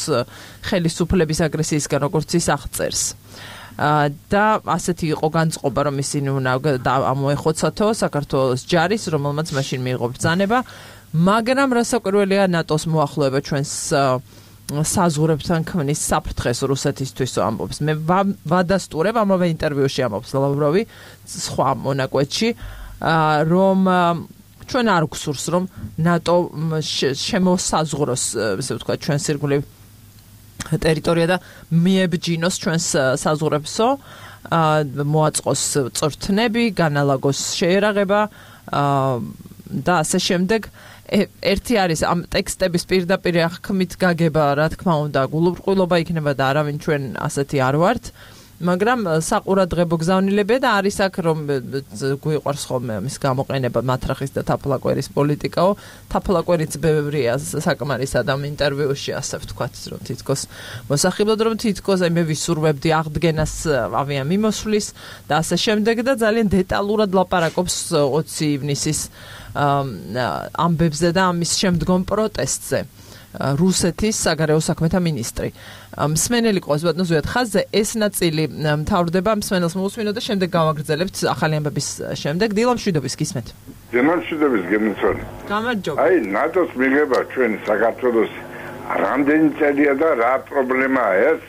ხელისუფლების აგრესიისგან, როგორც ის აღწერს. და ასეთი იყო განწყობა, რომ ისინი უნდა ამოეხოცათო საქართველოს ჯარის, რომელმაც მაშინ მიიღო ბრძანება. მაგრამ რასაკვირველია ნატოს მოახლოება ჩვენს საზღვრებთან ქმნის საფრთხეს რუსეთისთვის ამბობს. მე ვადასტურებ ამავე ინტერვიუში ამბობს ლავროვი სხვა მონაკვეთში, რომ ჩვენ არ გვსურს რომ ნატო შემოსაზღვროს, ესე ვთქვათ, ჩვენს ირგვლივ ტერიტორია და მიებჯინოს ჩვენს საზღვრებსო, მოაწყოს წვრთნები, განალაგოს შეერაღება და ასე შემდეგ. ერთი არის ამ ტექსტების პირდაპირ აღქმით გაგება, რა თქმა უნდა, გულუბრყვილობა იქნება და არავინ ჩვენ ასეთი არ ვართ. მაგრამ საყურადღებო გზავნილებია და არის აქ რომ გვიყვარს ხოლმე მის გამოყენება მათრახის და თაფლაკვერის პოლიტიკაო თაფლაკვერიც ბევრია საკმარისად ამ ინტერვიუში ასე ვთქვათ რომ თითქოს მოსახიბლად რომ თითქოს აი მე ვისურვებდი აღდგენას ავია მიმოსვლის და ასე შემდეგ და ძალიან დეტალურად ლაპარაკობს ოცი ივნისის ამბებზე და ამის შემდგომ პროტესტზე რუსეთის საგარეო საქმეთა მინისტრი. მსმენელი ყავს ბატონო ზვიად ხაზზე ეს ნაწილი მთავრდება მსმენელს მოусმინო და შემდეგ გავაგრძელებთ ახალი ამბების შემდეგ დილამ შვიდობის გისმენთ. დილამ შვიდობის გემიცვალი. გამარჯობა. აი ნატოს მიღება ჩვენი საქართველოს რამდენი წელია და რა პრობლემაა ეს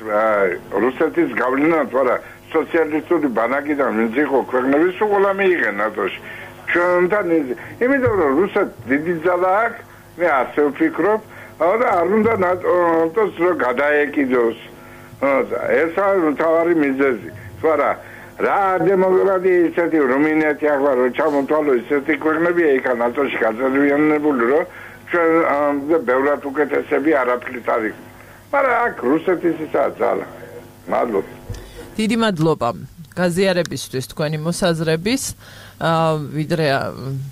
რუსეთის გავლენა თორე სოციალისტური ბანაკიდან ვინც იყო ქვეყნების უყოლა მიიღე ნატოში. ჩვენთან იმიტომ რომ რუსეთ დიდი ძალა აქვს მე ასე ვფიქრობ და არ უნდა ნატოს რო გადაეკიდოს. ეს არის მთავარი მიზეზი. თორე რა დემოკრატია ისეთი რუმინეთი ახლა რო ჩამოთვალო ისეთი ქვეყნები იქა ნატოში გაწევრიანებული რომ ჩვენ ბევრად უკეთესები არაფრით არის. მაგრამ აქ რუსეთის ისაა ძალა. მადლობა. დიდი მადლობა გაზიარებისთვის თქვენი მოსაზრების. ვიდრე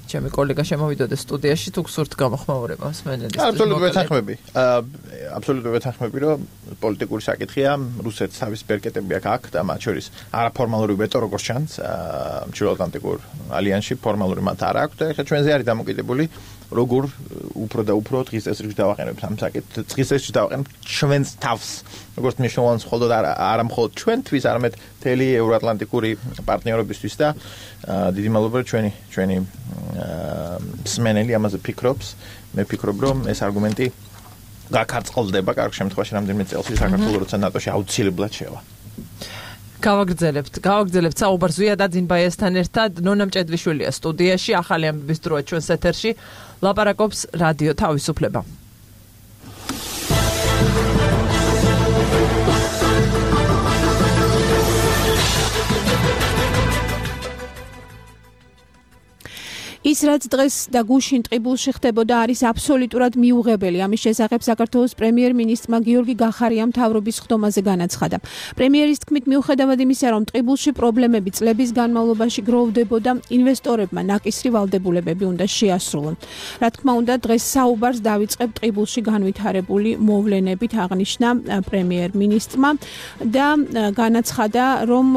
ჩემი კოლეგა შემოვიდოდეს სტუდიაში თუ გსურთ გამოხმაურება მსმენელის. აბსოლუტურად ვეთანხმები. აბსოლუტურად ვეთანხმები, რომ პოლიტიკური საკითხია, რუსეთს თავის ბერკეტები აქვს და მათ შორის არაფორმალური ვეტო როგორც ჩანს, ჩრდილოატლანტიკურ ალიანსში ფორმალური მათ არ აქვს და ეხლა ჩვენზე არის დამოკიდებული როგორ უფრო და უფრო დღის წესრიგში დავაყენებთ ამ საკითხს. დღის წესრიგში დავაყენებთ ჩვენს თავს. როგორც მნიშვნელოვანს მხოლოდ არა მხოლოდ ჩვენთვის, არამედ მთელი ევროატლანტიკური პარტნიორობისთვის და დიდი მადლობა ჩვენი ჩვენი მსმენელი ამაზე ფიქრობს. მე ვფიქრობ, რომ ეს არგუმენტი გაქარწყლდება კარგ შემთხვევაში რამდენიმე წელს საქართველოს როცა ნატოში აუცილებლად შევა. გავაგრძელებთ, გავაგრძელებთ საუბარს ზვიად აძინბაიასთან ერთად. ნონა მჭედლიშვილია სტუდიაში, ახალი ამბების დროა ჩვენს ეთერში. ლაპარაკობს რადიო თავისუფლება. ის რაც დღეს და გუშინ ტყიბულში ხდებოდა არის აბსოლუტურად მიუღებელი. ამის შესახებ საქართველოს პრემიერ-მინისტრმა გიორგი გახარიამ მთავრობის ხდომაზე განაცხადა. პრემიერის თქმით, მიუხედავად იმისა, რომ ტყიბულში პრობლემები წლების განმავლობაში გროვდებოდა, ინვესტორებმა ნაკისრი ვალდებულებები უნდა შეასრულონ. რა თქმა უნდა, დღეს საუბარს დავიწყებ ტყიბულში განვითარებული მოვლენებით, აღნიშნა პრემიერ-მინისტრმა და განაცხადა, რომ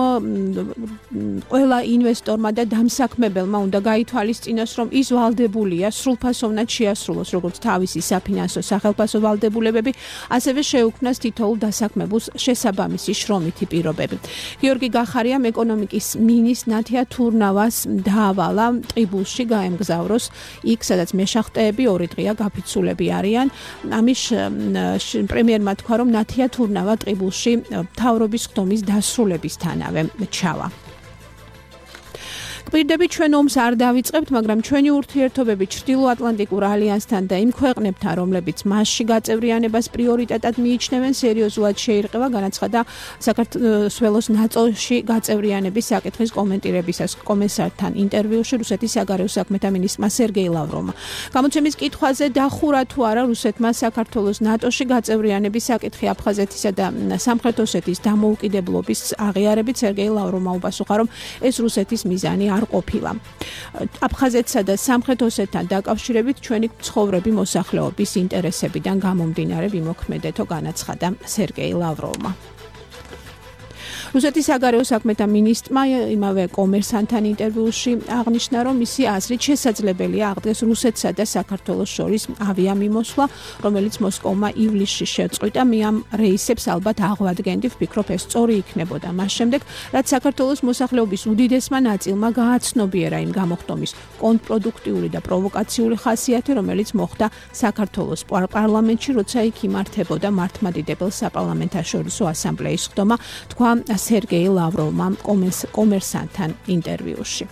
ყველა ინვესტორმა და დამსაქმებელმა უნდა გაითვალისწინოს რომ ის ვალდებულია სრულფასოვნად შეასრულოს როგორც თავისი საფინანსო სახელფასო ვალდებულებები, ასევე შეუქმნას თითოეულ დასაქმებულს შესაბამისი შრომითი პირობები. გიორგი გახარიამ ეკონომიკის მინისტრ ნათია თურნავას დაავალა ტყიბულში გაემგზავროს იქ, სადაც მეშახტეები ორი დღეა გაფიცულები არიან. ამის პრემიერმა თქვა, რომ ნათია თურნავა ტყიბულში მთავრობის ხდომის დასრულებისთანავე ჩავა. გვირდები ჩვენ ომს არ დავიწყებთ, მაგრამ ჩვენი ურთიერთობები ჩრდილოატლანტიკურ ალიანსთან და იმ ქვეყნებთან, რომლებიც მასში გაწევრიანებას პრიორიტეტად მიიჩნევენ, სერიოზულად შეირყევა, განაცხადა საქართველოს ნატოში გაწევრიანების საკითხის კომენტირებისას კომისართან ინტერვიუში რუსეთის საგარეო საქმეთა მინისტრმა სერგეი ლავროვმა. გამოცემის კითხვაზე დახურა თუ არა რუსეთმა საქართველოს ნატოში გაწევრიანების საკითხი აფხაზეთისა და სამხრეთ ოსეთის დამოუკიდებლობის აღიარებით, სერგეი ლავროვმა უპასუხა, რომ ეს რუსეთის მიზანი არ ყოფილა. აფხაზეთსა და სამხრეთ ოსეთთან დაკავშირებით ჩვენი ცხოვრები მოსახლეობის ინტერესებიდან გამომდინარე ვიმოქმედეთო, განაცხადა სერგეი ლავროვმა. რუსეთის საგარეო საქმეთა მინისტრმა იმავე კომერსანტთან ინტერვიუში აღნიშნა, რომ მისი აზრით შესაძლებელია აღდგეს რუსეთსა და საქართველოს შორის ავიამიმოსვლა, რომელიც მოსკოვმა ივლისში შეწყვიტა. მე ამ რეისებს ალბათ აღვადგენდი, ვფიქრობ ეს სწორი იქნებოდა. მას შემდეგ, რაც საქართველოს მოსახლეობის უდიდესმა ნაწილმა გააცნობიერა იმ გამოხდომის კონტრპროდუქტიული და პროვოკაციული ხასიათი, რომელიც მოხდა საქართველოს პარლამენტში, როცა იქ იმართებოდა მართლმადიდებელ საპარლამენტაშორისო ასამბლეის ხდომა, თქვა სერგეი ლავროვმა კომერსანტთან ინტერვიუში.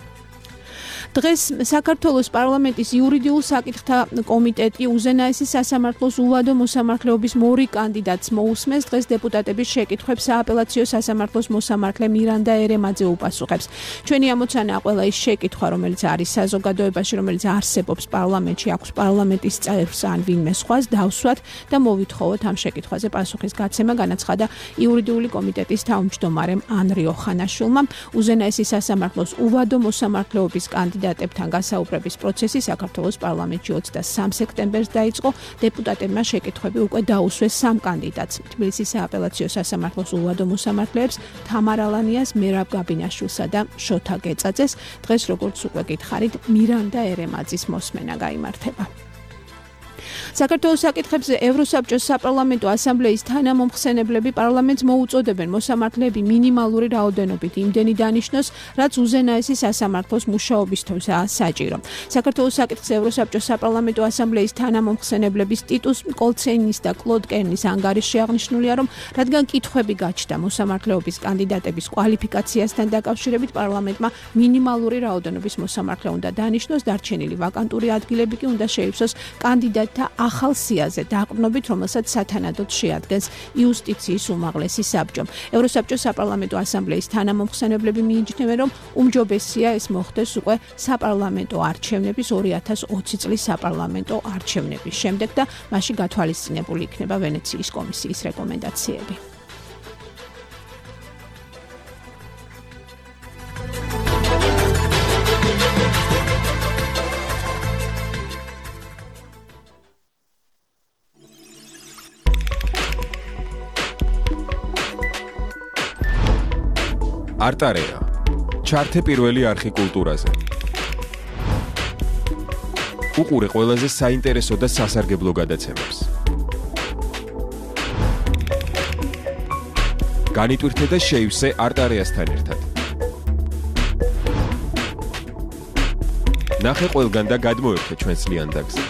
დღეს საქართველოს პარლამენტის იურიდიულ საკითხთა კომიტეტი უზენაესის სასამართლოს უვადო მოსამართლეობის მორი კანდიდატს მოусმენს. დღეს დეპუტატების შეკითხვებს სააპელაციო სასამართლოს მოსამართლე მირანდა ერემაძე უპასუხებს. ჩვენი ამოცანაა ყველა ის შეკითხვა, რომელიც არის საზოგადოებაში, რომელიც არსებობს პარლამენტში, აქვს პარლამენტის წევრს ან ვინმე სხვას დავსვათ და მოვითხოვოთ ამ შეკითხვაზე პასუხის გაცემა, განაცხადა იურიდიული კომიტეტის თავმჯდომარემ ანრი ოხანაშვილმა. უზენაესის სასამართლოს უვადო მოსამართლეობის კანდიდატებთან გასაუბრების პროცესი საქართველოს პარლამენტში ოცდასამ სექტემბერს დაიწყო. დეპუტატებმა შეკითხვები უკვე დაუსვეს სამ კანდიდატს. თბილისის სააპელაციო სასამართლოს უვადო მოსამართლეებს თამარ ალანიას, მერაბ გაბინაშვილსა და შოთა გეწაძეს. დღეს როგორც უკვე გითხარით, მირანდა ერემაძის მოსმენა გაიმართება. საქართველოს საკითხებზე ევროსაბჭოს საპარლამენტო ასამბლეის თანამომხსენებლები პარლამენტს მოუწოდებენ მოსამართლეები მინიმალური რაოდენობით იმდენი დანიშნოს, რაც უზენაესი სასამართლოს მუშაობისთვისაა საჭირო. საქართველოს საკითხზე ევროსაბჭოს საპარლამენტო ასამბლეის თანამომხსენებლების ტიტუს კოლცეინის და კლოდ კერნის ანგარიშში აღნიშნულია, რომ რადგან კითხვები გაჩნდა მოსამართლეობის კანდიდატების კვალიფიკაციასთან დაკავშირებით, პარლამენტმა მინიმალური რაოდენობის მოსამართლე უნდა დანიშნოს, დარჩენილი ვაკანტური ადგილები კი უნდა შეივსოს კანდიდატთა ახალ სიაზე დაყრდნობით, რომელსაც სათანადოდ შეადგენს იუსტიციის უმაღლესი საბჭო. ევროსაბჭოს საპარლამენტო ასამბლეის თანამომხსენებლები მიიჩნევენ, რომ უმჯობესია ეს მოხდეს უკვე საპარლამენტო არჩევნების ორი ათას ოცი წლის საპარლამენტო არჩევნების შემდეგ და მასში გათვალისწინებული იქნება ვენეციის კომისიის რეკომენდაციები. არტარეა ჩართე პირველი არხი კულტურაზე. უყურე ყველაზე საინტერესო და სასარგებლო გადაცემებს. განიტვირთე და შეივსე არტარეასთან ერთად. ნახე ყველგან და გადმოერთე ჩვენს ლიანდაგზე.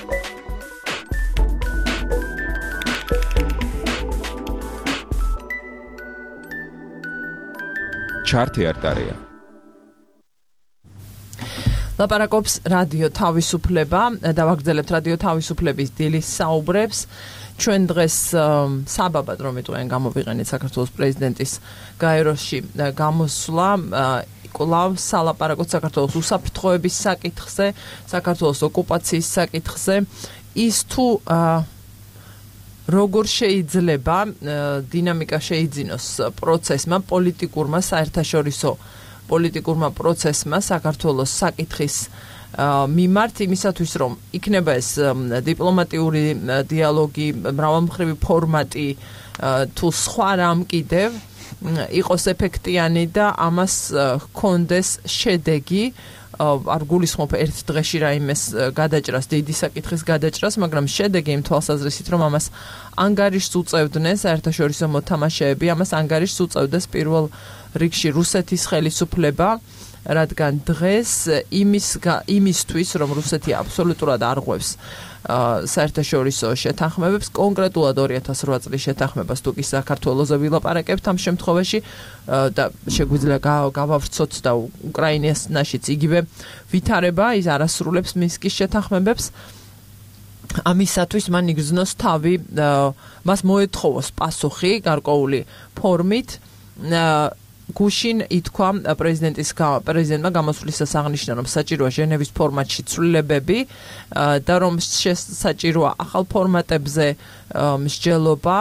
ჩართე არტარეა. ლაპარაკობს რადიო თავისუფლება, დავაგრძელებთ რადიო თავისუფლების დილის საუბრებს. ჩვენ დღეს საბაბად რომ იტყვიან გამოვიყენეთ საქართველოს პრეზიდენტის გაეროში გამოსვლა, კვლავ სალაპარაკოთ საქართველოს უსაფრთხოების საკითხზე, საქართველოს ოკუპაციის საკითხზე, ის თუ როგორ შეიძლება დინამიკა შეიძინოს პროცესმა, პოლიტიკურმა, საერთაშორისო პოლიტიკურმა პროცესმა საქართველოს საკითხის მიმართ, იმისათვის რომ იქნება ეს დიპლომატიური დიალოგი, მრავალმხრივი ფორმატი თუ სხვა რამ კიდევ იყოს ეფექტიანი და ამას ჰქონდეს შედეგი. არ გულისხმობ ერთ დღეში რაიმეს გადაჭრას, დიდი საკითხის გადაჭრას, მაგრამ შედეგი იმ თვალსაზრისით, რომ ამას ანგარიშს უწევდნენ საერთაშორისო მოთამაშეები, ამას ანგარიშს უწევდეს პირველ რიგში რუსეთის ხელისუფლება, რადგან დღეს იმის იმისთვის, რომ რუსეთი აბსოლუტურად არღვევს საერთაშორისო შეთანხმებებს, კონკრეტულად ორი ათას რვა წლის შეთანხმებას თუ კი საქართველოზე ვილაპარაკებთ ამ შემთხვევაში და შეგვიძლია გავავრცოთ და უკრაინაშიც იგივე ვითარება, ის არასრულებს მინსკის შეთანხმებებს. ამისათვის მან იგრძნოს თავი, მას მოეთხოვოს პასუხი გარკვეული ფორმით. გუშინ ითქვა პრეზიდენტის პრეზიდენტმა გამოსვლისას აღნიშნა, რომ საჭიროა ჟენევის ფორმატში ცვლილებები და რომ საჭიროა ახალ ფორმატებზე მსჯელობა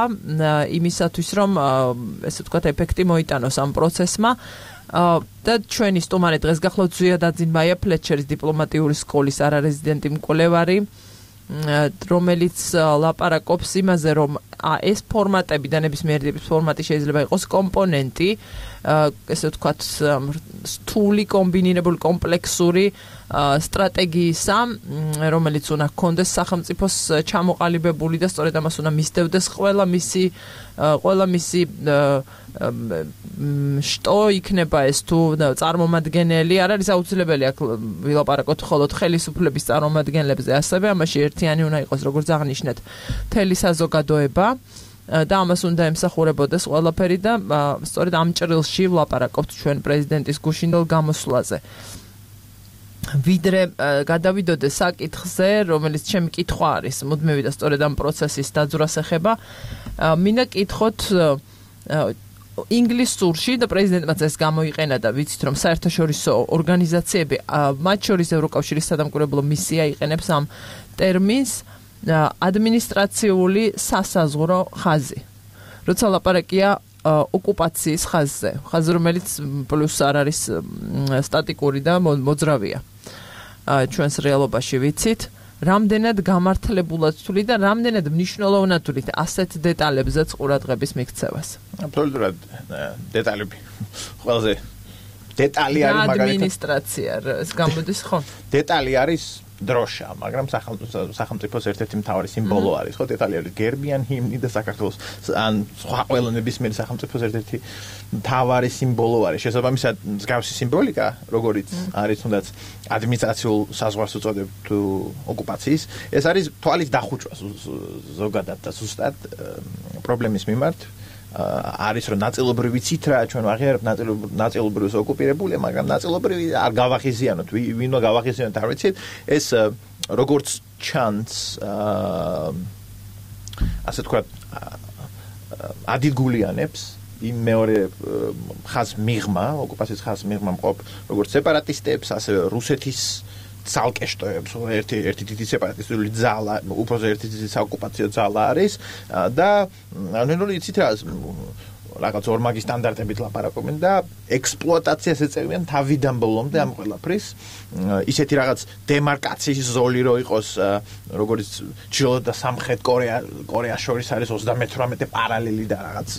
იმისათვის, რომ ესე ვთქვათ, ეფექტი მოიტანოს ამ პროცესმა. და ჩვენი სტუმარი დღეს გახლავთ ზვია დაძინმაია, ფლეჩერის დიპლომატიური სკოლის არარეზიდენტი მკვლევარი, რომელიც ლაპარაკობს იმაზე, რომ ეს ფორმატები და ნებისმიერი ტიპის ფორმატი შეიძლება იყოს კომპონენტი, ესე ვთქვათ, რთული, კომბინირებული, კომპლექსური სტრატეგიისა, რომელიც უნდა ჰქონდეს სახელმწიფოს ჩამოყალიბებული და სწორედ ამას უნდა მისდევდეს ყველა მისი ყველა მისი შტო იქნება ეს თუ წარმომადგენელი, არ არის აუცილებელი აქ ვილაპარაკოთ მხოლოდ ხელისუფლების წარმომადგენლებზე, ასევე ამაში ერთიანი უნდა იყოს, როგორც აღნიშნეთ, მთელი საზოგადოება და ამას უნდა ემსახურებოდეს ყველაფერი და სწორედ ამ ჭრილში ვლაპარაკობთ ჩვენ პრეზიდენტის გუშინდელ გამოსვლაზე. ვიდრე გადავიდოდე საკითხზე, რომელიც ჩემი კითხვა არის, მუდმივი და სწორედ ამ პროცესის დაძვრას ეხება, მინდა კითხოთ ინგლისურში და პრეზიდენტმაც ეს გამოიყენა და ვიცით რომ საერთაშორისო ორგანიზაციები, მათ შორის ევროკავშირის სადამკვირვებლო მისია იყენებს ამ ტერმინს ადმინისტრაციული სასაზღვრო ხაზი. როცა ლაპარაკია ოკუპაციის ხაზზე, ხაზი რომელიც პლუს არ არის სტატიკური და მოძრავია. ჩვენს რეალობაში ვიცით, რამდენად გამართლებულად თვლი და რამდენად მნიშვნელოვნად თვლით ასეთ დეტალებზეც ყურადღების მიქცევას. აბსოლუტურად დეტალები. ყველაზე დეტალი არის მაგალითად ადმინისტრაცია, ეს გამოდის ხო? დეტალი არის დროშა, მაგრამ სახელმწიფოს ერთ-ერთი მთავარი სიმბოლო არის, ხო, დეტალი არის გერბი ან ჰიმნი და საქართველოს ან სხვა ყველა ნებისმიერი სახელმწიფოს ერთ-ერთი მთავარი სიმბოლო არის. შესაბამისად, მსგავსი სიმბოლიკა, როგორიც არის თუნდაც ადმინისტრაციულ საზღვარს უწოდებ თუ ოკუპაციის, ეს არის თვალის დახუჭვა ზოგადად და ზუსტად პრობლემის მიმართ. არის რომ ნაწილობრივ ვიცით რა ჩვენ ვაღიარებთ ნაწილობრივ ოკუპირებულია, მაგრამ ნაწილობრივ არ გავახიზიანოთ, ვინმე გავახიზიანოთ არ ვიცით, ეს როგორც ჩანს ასე თქვა ადილგულიანებს იმ მეორე ხაზ მიღმა, ოკუპაციის ხაზ მიღმა მყოფ როგორც სეპარატისტებს, ასევე რუსეთის ცალკეშტოებს, ერთი ერთი დიდი სეპარატისტული ძალა, უბრალოდ ერთი დიდი საოკუპაციო ძალა არის და ნუ იცით რა რაღაც ორმაგი სტანდარტებით ლაპარაკობენ და ექსპლუატაციას ეწევიან თავიდან ბოლომდე ამ ყველაფრის. ისეთი რაღაც დემარკაციის ზოლი რო იყოს, როგორც ჩრდილოეთ და სამხრეთ კორეა კორეას შორის არის ოცდამეთვრამეტე პარალელი და რაღაც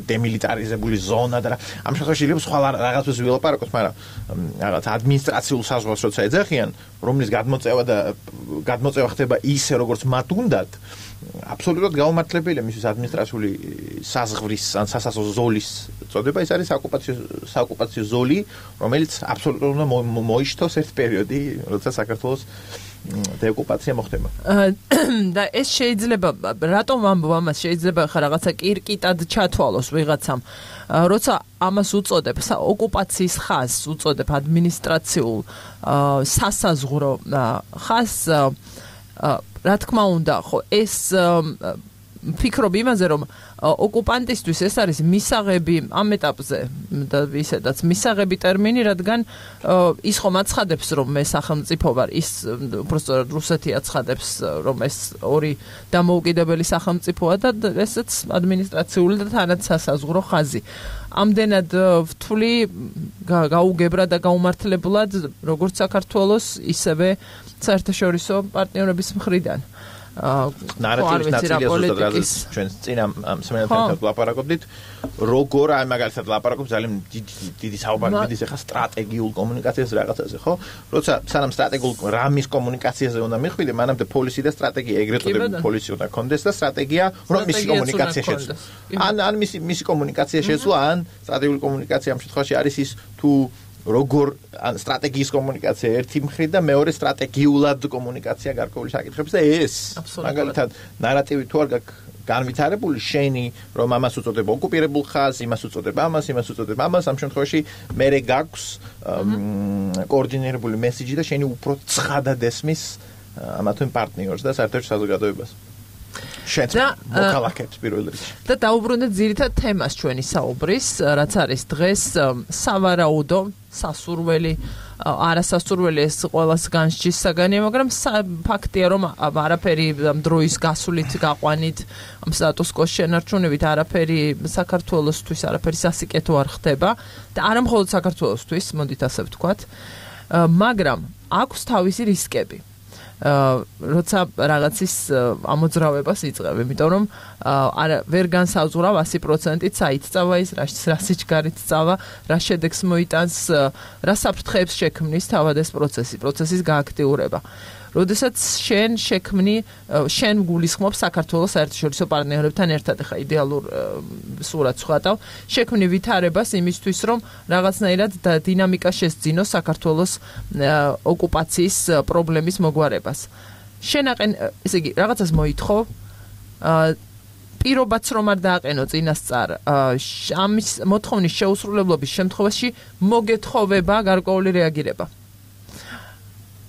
დემილიტარიზებული ზონა და ამ შემთხვევაში შეიძლება სხვა რაღაცას ვილაპარაკოთ, მაგრამ რაღაც ადმინისტრაციულ საზღვარს როცა ეძახიან, რომლის გადმოწევა და გადმოწევა ხდება ისე როგორც მათ უნდათ, აბსოლუტურად გაუმართლებელია მისთვის ადმინისტრაციული საზღვრის ან სასაზღვრო ზოლის წოდება, ეს არის საოკუპაციო საოკუპაციო ზოლი, რომელიც აბსოლუტურად უნდა მოიშთოს ერთ პერიოდი, როცა საქართველოს დეოკუპაცია მოხდება. და ეს შეიძლება, რატომ ამბობ ამას, შეიძლება ხა რაღაცა კირკიტად ჩათვალოს ვიღაცამ, როცა ამას უწოდებ, ოკუპაციის ხაზს უწოდებ ადმინისტრაციულ სასაზღვრო ხაზს, რა თქმა უნდა, ხო, ეს ფიქრობ იმაზე, რომ ოკუპანტისთვის ეს არის მისაღები ამ ეტაპზე და ისედაც მისაღები ტერმინი, რადგან ის ხომ აცხადებს, რომ მე სახელმწიფო ვარ, ის უბრალოდ რუსეთი აცხადებს, რომ ეს ორი დამოუკიდებელი სახელმწიფოა და ესეც ადმინისტრაციული და თანაც სასაზღვრო ხაზი. ამდენად ვთვლი გაუგებრა და გაუმართლებლად როგორც საქართველოს, ისევე საერთაშორისო პარტნიორების მხრიდან. ნარატივის ნაწილია ზუსტად რაზეც ჩვენ წინ ამ სემინართან ლაპარაკობდით, როგორ აი მაგალითად ლაპარაკობ ძალიან დიდი საუბარი მიდის ახლა სტრატეგიულ კომუნიკაციაზე რაღაცაზე, ხო? როცა სანამ სტრატეგიულ რამის კომუნიკაციაზე უნდა მიხვიდე, მანამდე პოლისი და სტრატეგია, ეგრეთ წოდებული პოლისი უნდა კონდეს და სტრატეგია, რომ მისი კომუნიკაცია შეცვლა. ან ან მისი მისი კომუნიკაცია შეცვლა, ან სტრატეგიული კომუნიკაცია ამ შემთხვევაში არის ის თუ როგორ სტრატეგიის კომუნიკაცია ერთი მხრით და მეორე სტრატეგიულად კომუნიკაცია გარკვეული საკითხებს და ეს მაგალითად ნარატივი თუ არ გაქვს განვითარებული, შენი რომ ამას უწოდებ ოკუპირებულ ხაზს, იმას უწოდებ ამას, იმას უწოდებ ამას, ამ შემთხვევაში მერე გაქვს კოორდინირებული მესიჯი და შენი უფრო ცხადად ესმის ამა თუ იმ პარტნიორს და საერთაშორისო საზოგადოებას. შენ მოკალაკებს პირველ რიგში. და დაუბრუნდეთ ძირითად თემას ჩვენი საუბრის, რაც არის დღეს სავარაუდო, სასურველი, არასასურველი ეს ყველას განსჯის საგანია, მაგრამ ფაქტია, რომ არაფერი დროის გასულით გაყვანით, ამ სტატუს-კოს შენარჩუნებით არაფერი საქართველოსთვის, არაფერი სასიკეთო არ ხდება და არა მხოლოდ საქართველოსთვის, მოდით ასე ვთქვათ, მაგრამ აქვს თავისი რისკები. როცა რაღაცის ამოძრავებას იწყებ, იმიტომ რომ არა ვერ განსაზღვრავ ათი პროცენტით საით წავა ის, რა სიჩქარით წავა, რა შედეგს მოიტანს, რა საფრთხეებს შექმნის თავად ეს პროცესი, პროცესის გააქტიურება. როდესაც შენ შექმნი, შენ გულისხმობ საქართველოს საერთაშორისო პარტნიორებთან ერთად, ხა იდეალურ სურათს ვხატავ, შექმნი ვითარებას იმისთვის, რომ რაღაცნაირად დინამიკა შესძინოს საქართველოს ოკუპაციის პრობლემის მოგვარებას. შენ აყენ, ესე იგი, რაღაცას მოითხოვ, პირობაც რომ არ დააყენო წინასწარ, ამის მოთხოვნის შეუსრულებლობის შემთხვევაში მოგეთხოვება გარკვეული რეაგირება.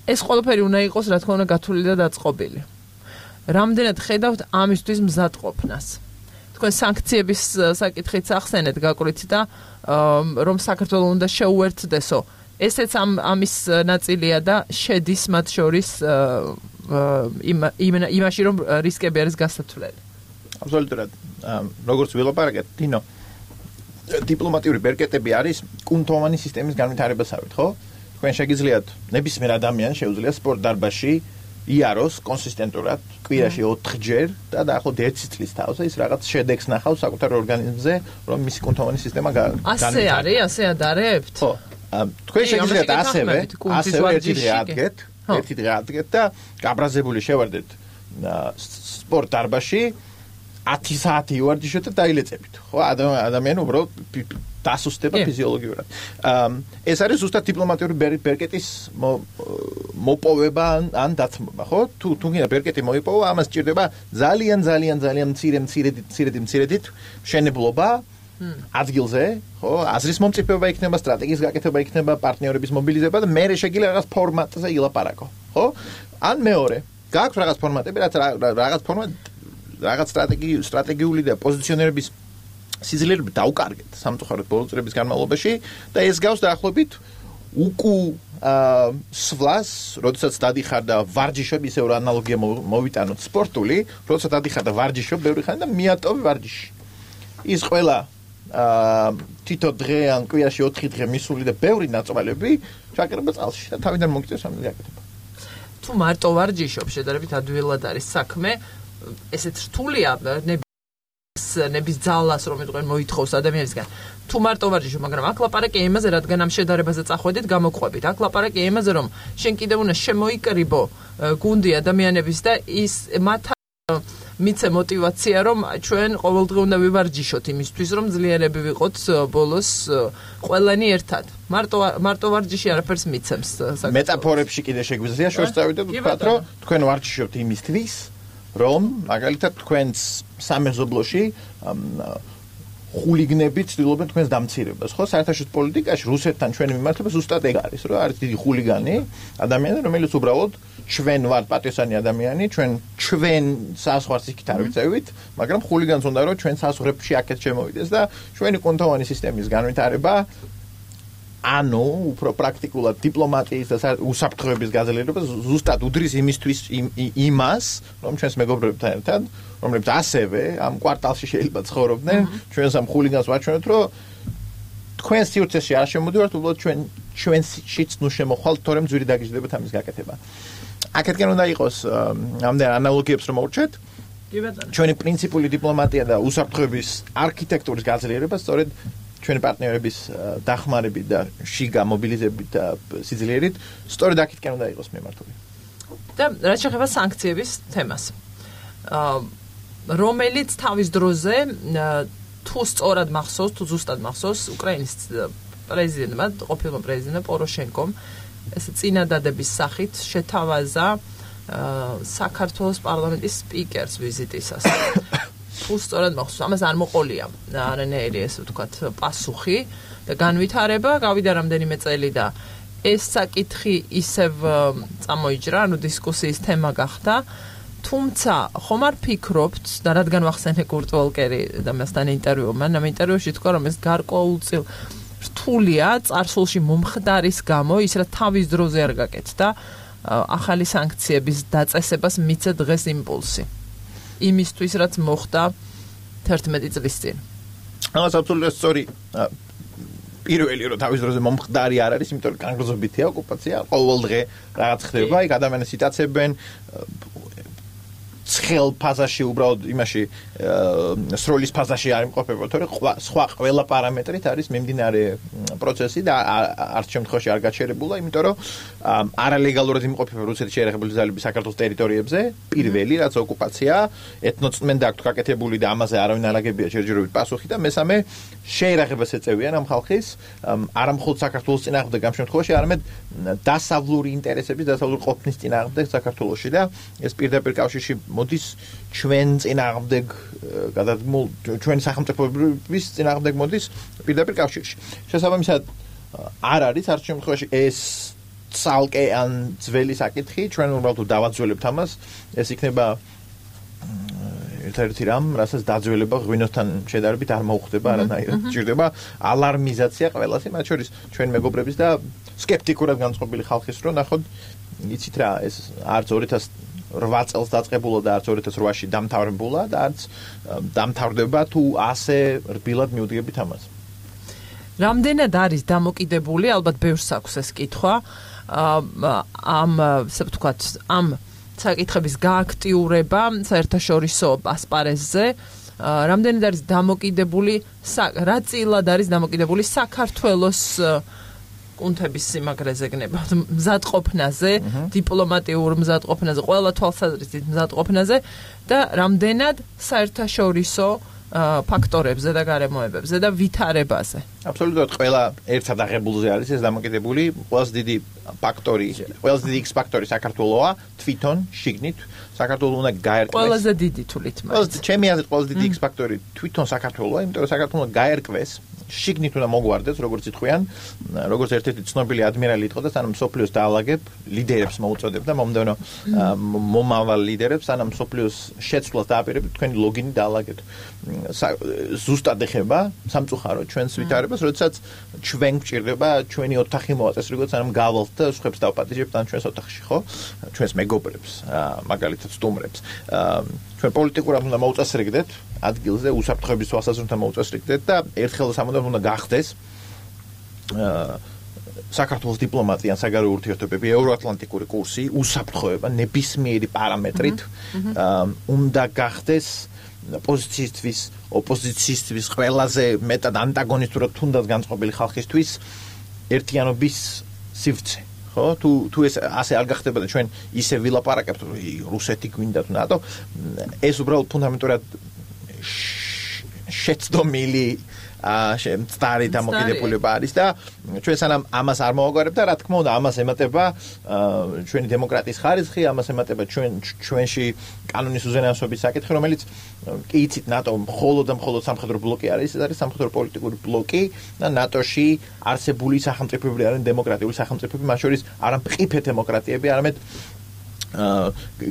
ეს ყველაფერი უნდა იყოს, რა თქმა უნდა, გათვლილი და დაწყობილი. რამდენად ხედავთ ამისთვის მზადყოფნას? თქვენ სანქციების საკითხიც ახსენეთ გაკვრით და რომ საქართველოს უნდა შეუერთდესო. ესეც ამ ამის ნაწილია და შედის მათ შორის იმაში, რომ რისკები არის გასათვლელი. აბსოლუტურად. როგორც ვილაპარაკეთ, დინო, დიპლომატიური ბერკეტები არის კუნთოვანი სისტემის განვითარებასავით, ხო? თქვენ შეგიძლიათ ნებისმიერ ადამიანს შეუძლია სპორტ დარბაზში იაროს კონსისტენტურად კვირაში ოთხჯერ და დაახლოებით ერთი წლის თავზე ის რაღაც შედეგს ნახავს საკუთარ ორგანიზმზე, რომ მისი კუნთოვანი სისტემა განვითარდება. ასე არის, ასე ადარებთ? ხო. თქვენ შეგიძლიათ ასევე, ასევე ერთი დღე ადგეთ, ერთი დღე ადგეთ და გაბრაზებული შევარდეთ სპორტ დარბაზში ათი საათი ვარჯიშოთ და დაილეწებით. ხო, ადამიანი უბრალოდ დასუსტება ფიზიოლოგიურად. ეს არის ზუსტად დიპლომატიური ბერკეტის მოპოვება ან დათმობა, ხო? თუ თუ გინდა ბერკეტი მოიპოვო, ამას სჭირდება ძალიან ძალიან ძალიან მცირე მცირედი მცირედი მცირედით მშენებლობა ადგილზე, ხო? აზრის მომწიფება იქნება, სტრატეგიის გაკეთება იქნება, პარტნიორების მობილიზება და მერე შეგიძლია რაღაც ფორმატზე ილაპარაკო, ხო? ან მეორე, გააქვს რაღაც ფორმატები, რაც რაღაც ფორმატ რაღაც სტრატეგიული სტრატეგიული და პოზიციონერების სიძლიერები დაუკარგეთ სამწუხაროდ ბოლო წლების განმავლობაში და ეს გავს დაახლოებით უკუ სვლას, როდესაც დადიხარ და ვარჯიშობ, ისე რომ ანალოგია მოვიტანოთ სპორტული, როდესაც დადიხარ და ვარჯიშობ ბევრი ხანი და მიატოვე ვარჯიში. ის ყველა თითო დღე ან კვირაში ოთხი დღე მისული და ბევრი ნაწვალები ჩაკერება წყალში და თავიდან მოგიწევს ამ გაკეთება. თუ მარტო ვარჯიშობ, შედარებით ადვილად არის საქმე, ესეც რთულია ნების ძალას რომ იტყვენ მოითხოვს ადამიანისგან. თუ მარტო ვარჯიშობ, მაგრამ აქ ლაპარაკია იმაზე, რადგან ამ შედარებაზე წახვედით, გამოყვებით. აქ ლაპარაკია იმაზე, რომ შენ კიდევ უნდა შემოიკრიბო გუნდი ადამიანების და ის მათ მიცე мотиваცია, რომ ჩვენ ყოველდღე უნდა ვივარჯიშოთ იმისთვის, რომ ძლიერები ვიყოთ ბოლოს ყველანი ერთად. მარტო მარტო ვარჯიში არაფერს მიცემს. მეტაფორებში კიდე შეგვიძლია შორს წავიდეთ ვთქვათ, რომ თქვენ ვარჯიშობთ იმისთვის, რომ მაგალითად თქვენს სამეზობლოში ხულიგნები ცდილობენ თქვენს დამცირებას, ხო? საერთაშორისო პოლიტიკაში რუსეთთან ჩვენი მიმართება ზუსტად ეგ არის, რომ არის დიდი ხულიგანი ადამიანი, რომელიც უბრალოდ ჩვენ ვართ პატიოსანი ადამიანი, ჩვენ ჩვენ საზღვარს იქით არ ვიწევით, მაგრამ ხულიგანს უნდა რომ ჩვენ საზღვრებში აქეთ შემოვიდეს და ჩვენი კუნთოვანი სისტემის განვითარება ანუ უფრო პრაქტიკულად დიპლომატიის და უსაფრთხოების გაძლიერება ზუსტად უდრის იმისთვის იმას, რომ ჩვენს მეგობრებთან ერთად, რომლებიც ასევე ამ კვარტალში შეიძლება ცხოვრობდნენ, ჩვენს ამ ხულიგანს ვაჩვენოთ, რომ თქვენ სივრცეში არ შემოდივართ, უბრალოდ ჩვენ ჩვენშიც ნუ შემოხვალთ, თორემ ძვირი დაგიჟდებათ ამის გაკეთება. აქეთკენ უნდა იყოს ამდენ ანალოგიებს რომ მოვჩეთ. ჩვენი პრინციპული დიპლომატია და უსაფრთხოების არქიტექტურის გაძლიერება სწორედ ჩვენი პარტნიორების დახმარებით და შიგა მობილიზებით და სიძლიერით სწორედ აქეთკენ უნდა იყოს მიმართული. და რაც შეეხება სანქციების თემას. რომელიც თავის დროზე თუ სწორად მახსოვს, თუ ზუსტად მახსოვს, უკრაინის პრეზიდენტმა, ყოფილმა პრეზიდენტმა პოროშენკომ ეს წინადადების სახით შეთავაზა საქართველოს პარლამენტის სპიკერს ვიზიტისას. თუ სწორად მახსოვს, ამას არ მოყოლია არანაირი ესე ვთქვათ პასუხი და განვითარება, გავიდა რამდენიმე წელი და ეს საკითხი ისევ წამოიჭრა, ანუ დისკუსიის თემა გახდა. თუმცა ხომ არ ფიქრობთ და რადგან ვახსენე კურტ ვოლკერი და მასთან ინტერვიუ, მან ამ ინტერვიუში თქვა, რომ ეს გარკვეულწილ რთულია წარსულში მომხდარის გამო, ის რა თავის დროზე არ გაკეთდა, ახალი სანქციების დაწესებას მიცა დღეს იმპულსი. იმისთვის რაც მოხდა თერთმეტი წლის წინ. ამას აბსოლუტურად სწორი პირველი რომ თავის დროზე მომხდარი არ არის, იმიტომ რომ კანგრზობითია ოკუპაცია, ყოველ დღე რაღაც ხდება, იქ ადამიანები იტაცებენ ცხელ ფაზაში უბრალოდ იმაში სროლის ფაზაში არ იმყოფება, თორე სხვა ყველა პარამეტრით არის მიმდინარე პროცესი და არც შემთხვევაში არ გაჩერებულა, იმიტომ რომ არალეგალურად იმყოფება რუსეთის შეერაღებული ძალები საქართველოს ტერიტორიებზე, პირველი რაც ოკუპაცია, ეთნოწმენდა აქვთ გაკეთებული და ამაზე არავინ არ აგებია ჯერჯერობით პასუხი და მესამე შეერაღებას ეწევიან ამ ხალხის, არა მხოლოდ საქართველოს წინააღმდეგ ამ შემთხვევაში, არამედ დასავლური ინტერესების, დასავლური ყოფნის წინააღმდეგ საქართველოში და ეს პირდაპირ კავშირში მოდის ჩვენ წინააღმდეგ გადადგმულ ჩვენ სახელმწიფოების წინააღმდეგ მოდის პირდაპირ კავშირში. შესაბამისად არ არის არც შემთხვევაში ეს ცალკე ან ძველი საკითხი, ჩვენ უბრალოდ დავაძველებთ ამას, ეს იქნება ერთ-ერთი რამ, რასაც დაძველება ღვინოსთან შედარებით არ მოუხდება, არანაირად ჭირდება ალარმიზაცია ყველასი, მათ შორის ჩვენ მეგობრების და სკეპტიკურად განწყობილი ხალხის რო ნახოთ, იცით რა, ეს არც ორი ათას რვა წელს დაწყებულა და არც ორი ათას რვაში დამთავრებულა და არც დამთავრდება თუ ასე რბილად მიუდგებით ამას. რამდენად არის დამოკიდებული, ალბათ ბევრს აქვს ეს კითხვა, ამ, ასე ვთქვათ, ამ საკითხების გააქტიურება საერთაშორისო ასპარეზზე, რამდენად არის დამოკიდებული, რა წილად არის დამოკიდებული საქართველოს კუნთების სიმაგრეზე გნებავთ, მზადყოფნაზე, დიპლომატიურ მზადყოფნაზე, ყველა თვალსაზრისით მზადყოფნაზე და რამდენად საერთაშორისო ფაქტორებზე და გარემოებებზე და ვითარებაზე. აბსოლუტურად ყველა ერთად აღებულზე არის ეს დამოკიდებული, ყველაზე დიდი ფაქტორი, ყველაზე დიდი X ფაქტორი საქართველოა, თვითონ შიგნით საქართველოს უნდა გაერკვეს. ყველაზე დიდი თulit მაინც. ჩემი აზრით ყველაზე დიდი X ფაქტორი თვითონ საქართველოა, იმიტომ რომ საქართველოს გაერკვეს. შიგნით უნდა მოგვარდეს, როგორც იტყვიან, როგორც ერთ-ერთი ცნობილი ადმირალი იყო და სანამ სოფლიოს დაალაგებ, ლიდერებს მოუწოდებ და მომდევნო მომავალ ლიდერებს, სანამ სოფლიოს შეცვლას დააპირებთ, თქვენი ლოგინი დაალაგეთ. ზუსტად ეხება სამწუხარო ჩვენს ვითარებას, როდესაც ჩვენ გვჭირდება ჩვენი ოთახი მოაწესრიგოთ, სანამ გავალთ და სხვებს დავპატიჟებთ ან ჩვენს ოთახში, ხო? ჩვენს მეგობრებს, მაგალითად სტუმრებს. ჩვენ პოლიტიკურად უნდა მოუწესრიგდეთ ადგილზე, უსაფრთხოების თვალსაზრისით უნდა მოუწესრიგდეთ და ერთხელ სამუდამოდ უნდა გახდეს საქართველოს დიპლომატია, საგარეო ურთიერთობები, ევროატლანტიკური კურსი, უსაფრთხოება ნებისმიერი პარამეტრით უნდა გახდეს პოზიციისთვის, ოპოზიციისთვის, ყველაზე მეტად ანტაგონისტურად თუნდაც განწყობილი ხალხისთვის ერთიანობის სივრცე. ხო, თუ თუ ეს ასე არ გახდებოდა ჩვენ ისე ვილაპარაკებთ რუსეთი გვინდა თუ ნატო, ეს უბრალოდ ფუნდამენტურად შეცდომილი მწდარი დამოკიდებულება არის და ჩვენ სანამ ამას არ მოვაგვარებთ და რა თქმა უნდა ამას ემატება ჩვენი დემოკრატიის ხარისხი, ამას ემატება ჩვენ ჩვენში კანონის უზენაესობის საკითხი, რომელიც კი იცით ნატო მხოლოდ და მხოლოდ სამხედრო ბლოკი არის, ეს არის სამხედრო პოლიტიკური ბლოკი და ნატოში არსებული სახელმწიფოები არიან დემოკრატიული სახელმწიფოები, მათ შორის არა მყიფე დემოკრატიები, არამედ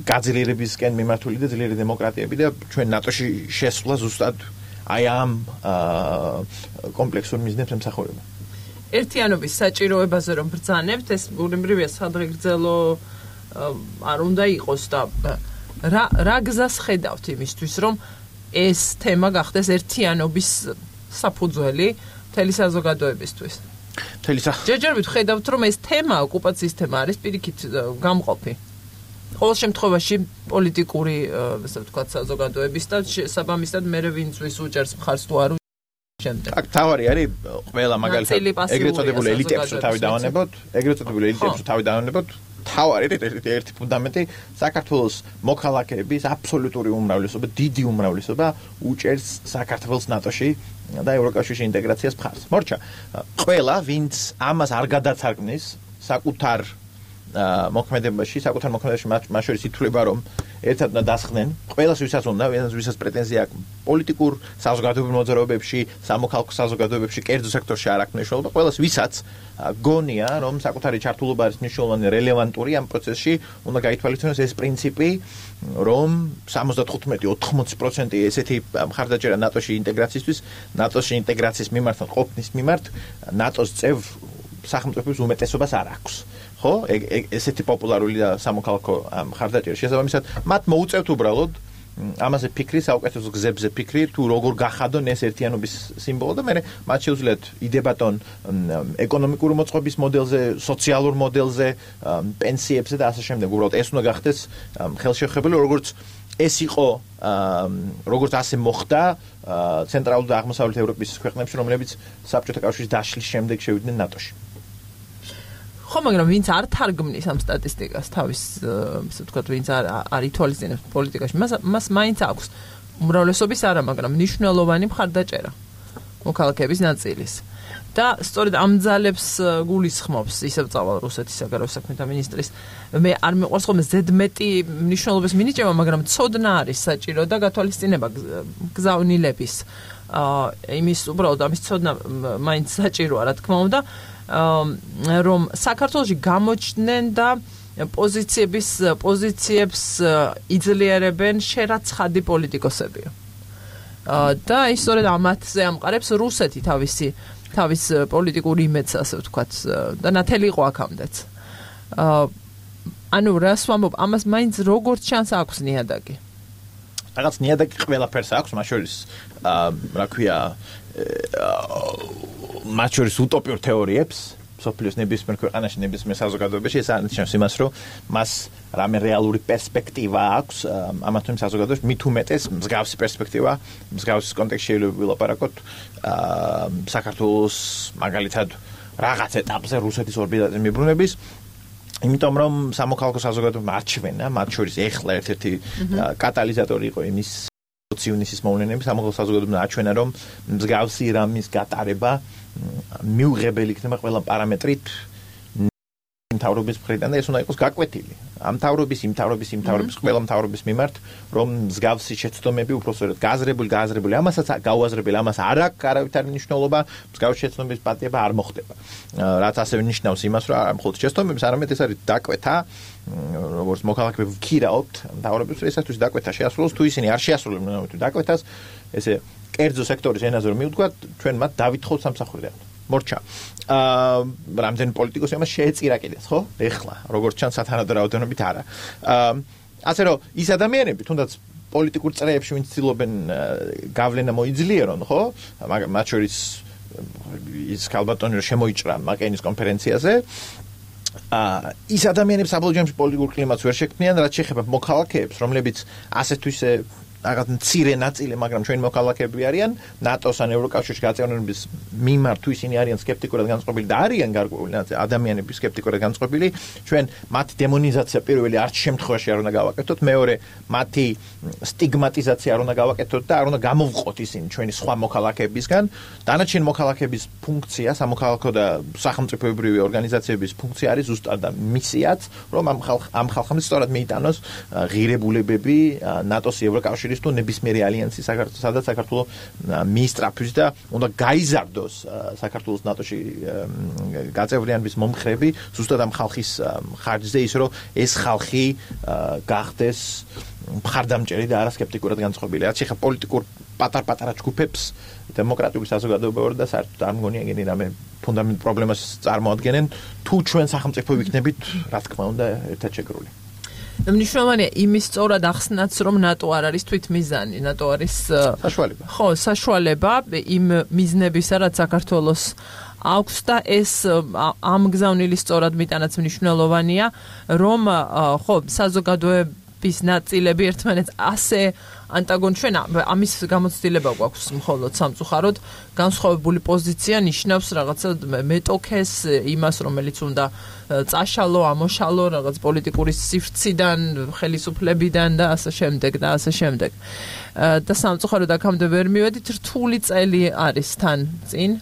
გაძლიერებისკენ მიმართული და ძლიერი დემოკრატიები და ჩვენ ნატოში შესვლა ზუსტად აი ამ კომპლექსურ მიზნებს ემსახურება. ერთიანობის საჭიროებაზე რომ ბრძანებთ, ეს ბუნებრივია სადღეგრძელო არ უნდა იყოს და რა რა გზას ხედავთ იმისთვის, რომ ეს თემა გახდეს ერთიანობის საფუძველი მთელი საზოგადოებისთვის? მთელი ჯერჯერობით ხედავთ, რომ ეს თემა, ოკუპაციის თემა არის პირიქით გამყოფი. ყოველ შემთხვევაში პოლიტიკური, ასე ვთქვათ, საზოგადოების და საბამისად მერე ვინც ვის უჭერს მხარს თუ არ შემდეგ. აქ თავარი არის ყველა მაგალითად ეგრეთ წოდებული ელიტებს რო თავი დავანებოთ, ეგრეთ წოდებული ელიტებს რო თავი დავანებოთ, თავარი ერთი ფუნდამენტი საქართველოს მოქალაქეების აბსოლუტური უმრავლესობა, დიდი უმრავლესობა უჭერს საქართველოს ნატოში და ევროკავშირში ინტეგრაციას მხარს. მორჩა, ყველა ვინც ამას არ გადაცარგმნის საკუთარ მოქმედებაში, საკუთარ მოქმედებაში მათ შორის ითვლება, რომ ერთად უნდა დასხდნენ, ყველას ვისაც უნდა, ვისაც პრეტენზია აქვს პოლიტიკურ საზოგადოებრივ მოძრაობებში, სამოქალაქო საზოგადოებებში, კერძო სექტორში არ აქვს მნიშვნელობა, ყველას ვისაც გონია, რომ საკუთარი ჩართულობა არის მნიშვნელოვანი, რელევანტური ამ პროცესში, უნდა გაითვალისწინოს ეს პრინციპი, რომ სამოცდათხუთმეტი ოთხმოცი პროცენტი ესეთი მხარდაჭერა ნატოში ინტეგრაციისთვის, ნატოში ინტეგრაციის მიმართ, ყოფნის მიმართ, ნატოს წევ სახელმწიფოების უმეტესობას არ აქვს. ხო, ესეთი პოპულარული და სამოქალაქო მხარდაჭერა შესაბამისად, მათ მოუწევთ უბრალოდ ამაზე ფიქრი, საუკეთესო გზებზე ფიქრი, თუ როგორ გახადონ ეს ერთიანობის სიმბოლო და მე მათ შეუძლიათ იდებატონ ეკონომიკური მოწყობის მოდელზე, სოციალურ მოდელზე, პენსიებზე და ასე შემდეგ. უბრალოდ ეს უნდა გახდეს ხელშეუხებელი, როგორც ეს იყო, როგორც ასე მოხდა ცენტრალურ და აღმოსავლეთ ევროპის ქვეყნებში, რომლებიც საბჭოთა კავშირის დაშლის შემდეგ შევიდნენ ნატოში. ხო, მაგრამ ვინც არ თარგმნის ამ სტატისტიკას თავის, ასე ვთქვათ, ვინც არ არ ითვალისწინებს პოლიტიკაში, მას მას მაინც აქვს უმრავლესობის არა, მაგრამ მნიშვნელოვანი მხარდაჭერა მოქალაქეების ნაწილის. და სწორედ ამ ძალებს გულისხმობს ისევ წავალ რუსეთის საგარეო საქმეთა მინისტრის. მე არ მიყვარს ხოლმე ზედმეტი მნიშვნელობის მინიჭება, მაგრამ ცოდნა არის საჭირო და გათვალისწინება გზავნილების. აა იმის უბრალოდ ამის ცოდნა მაინც საჭიროა, რა თქმა უნდა. რომ საქართველოში გამოჩნდნენ და პოზიციების პოზიციებს იძლიერებენ შერაცხადი პოლიტიკოსებია. და ისწორედ ამათზე ამყარებს რუსეთი თავისი თავის პოლიტიკურ იმედს, ასე ვთქვათ, და ნათელი იყო აქამდეც. ანუ რას ვამბობ, ამას მაინც როგორც ჩანს აქვს ნიადაგი. რაღაც ნიადაგი ყველაფერს აქვს, მათ შორის რა ქვია, მათ შორის უტოპიურ თეორიებს, სოფლიოს ნებისმიერ ქვეყანაში, ნებისმიერ საზოგადოებაში, ეს არნიშნავს იმას, რომ მას რამე რეალური პერსპექტივა აქვს ამათ იმ საზოგადოებაში, მით უმეტეს მსგავსი პერსპექტივა, მსგავსის კონტექსტში შეიძლება ვილაპარაკოთ საქართველოს მაგალითად რაღაც ეტაპზე რუსეთის ორბიტაზე მიბრუნების, იმიტომ რომ სამოქალაქო საზოგადოება არჩევნა, მათ შორის ეხლა ერთ-ერთი კატალიზატორი იყო იმის ციუნისის მოვლენების, სამოქალაქო საზოგადოება არჩევნა, რომ მსგავსი რამის გატარება მიუღებელი იქნება ყველა პარამეტრით მთავრობის მხრიდან და ეს უნდა იყოს გაკვეთილი. ამ მთავრობის, იმ მთავრობის, იმ მთავრობის, ყველა მთავრობის მიმართ, რომ მსგავსი შეცდომები უბრალოდ გააზრებული, გააზრებული, ამასაც გაუაზრებელი, ამას არ აქვს არავითარი მნიშვნელობა, მსგავსი შეცდომების პატიება არ მოხდება. რაც ასევე ნიშნავს იმას, რომ არ მხოლოდ შეცდომების, არამედ ეს არის დაკვეთა, როგორც მოქალაქეები ვქირაობთ მთავრობის, ესათვის დაკვეთა შეასრულოს, თუ ისინი არ შეასრულებენ თუ დაკვეთას, ესე კერძო სექტორის ენაზე რომ მივდგათ, ჩვენ მათ დავითხოვთ სამსახურიდან. მორჩა. აა რამდენი პოლიტიკოსი ამას შეეწირა კიდეც, ხო? ეხლა, როგორც ჩანს სათანადო რაოდენობით არა. აა ასე რომ ის ადამიანები, თუნდაც პოლიტიკურ წრეებში ვინც ცდილობენ გავლენა მოიძლიერონ, ხო? მათ შორის ის ქალბატონი რომ შემოიჭრა მაკენის კონფერენციაზე, აა ის ადამიანებს საბოლოო ჯამში პოლიტიკურ კლიმატს ვერ შექმნიან, რაც შეეხება მოქალაქეებს, რომლებიც ასეთ თუ ისე რაღაც მცირე ნაწილი, მაგრამ ჩვენი მოქალაქეები არიან ნატოს ან ევროკავშირის გაწევნების მიმართ, თუ ისინი არიან სკეპტიკურად განწყობილი და არიან გარკვეული ადამიანები სკეპტიკურად განწყობილი, ჩვენ მათი დემონიზაცია პირველი არც შემთხვევაში არ უნდა გავაკეთოთ, მეორე მათი სტიგმატიზაცია არ უნდა გავაკეთოთ და არ უნდა გამოვყოთ ისინი ჩვენი სხვა მოქალაქეებისგან. დანარჩენი მოქალაქეების ფუნქცია, სამოქალაქო და სახელმწიფოებრივი ორგანიზაციების ფუნქცია არის ზუსტად და მისიაც, რომ ამ ხალხ ამ ხალხამდე სწორად მიიტანოს ღირებულებები ნატოს ევროკავშირის თუ ნებისმიერი ალიანსი საქართველოს, სადაც საქართველოს მიისწრაფვის და უნდა გაიზარდოს საქართველოს ნატოში გაწევრიანების მომხრები ზუსტად ამ ხალხის ხარჯზე, ის რომ ეს ხალხი გახდეს მხარდამჭერი და არა სკეპტიკურად განწყობილი. რაც შეეხება პოლიტიკურ პატარ-პატარა ჯგუფებს, დემოკრატიული საზოგადოებაა და საერთოდ არ მგონია ეგენი რამე ფუნდამენტ პრობლემას წარმოადგენენ, თუ ჩვენ სახელმწიფო ვიქნებით, რა თქმა უნდა, ერთად შეგრული. მნიშვნელოვანია იმის სწორად ახსნაც, რომ ნატო არ არის თვითმიზანი, ნატო არის საშუალება. ხო, საშუალება იმ მიზნებისა, რაც საქართველოს აქვს და ეს ამ გზავნილი სწორად მიტანაც მნიშვნელოვანია, რომ ხო, საზოგადოების ნაწილები ერთმანეთს ასე ანტაგონ ჩვენ ამის გამოცდილება გვაქვს მხოლოდ სამწუხაროდ განსხვავებული პოზიცია ნიშნავს რაღაცა მეტოქეს იმას რომელიც უნდა წაშალო ამოშალო რაღაც პოლიტიკური სივრციდან ხელისუფლებიდან და ასე შემდეგ და ასე შემდეგ და სამწუხაროდ აქამდე ვერ მივედით რთული წელი არის თან წინ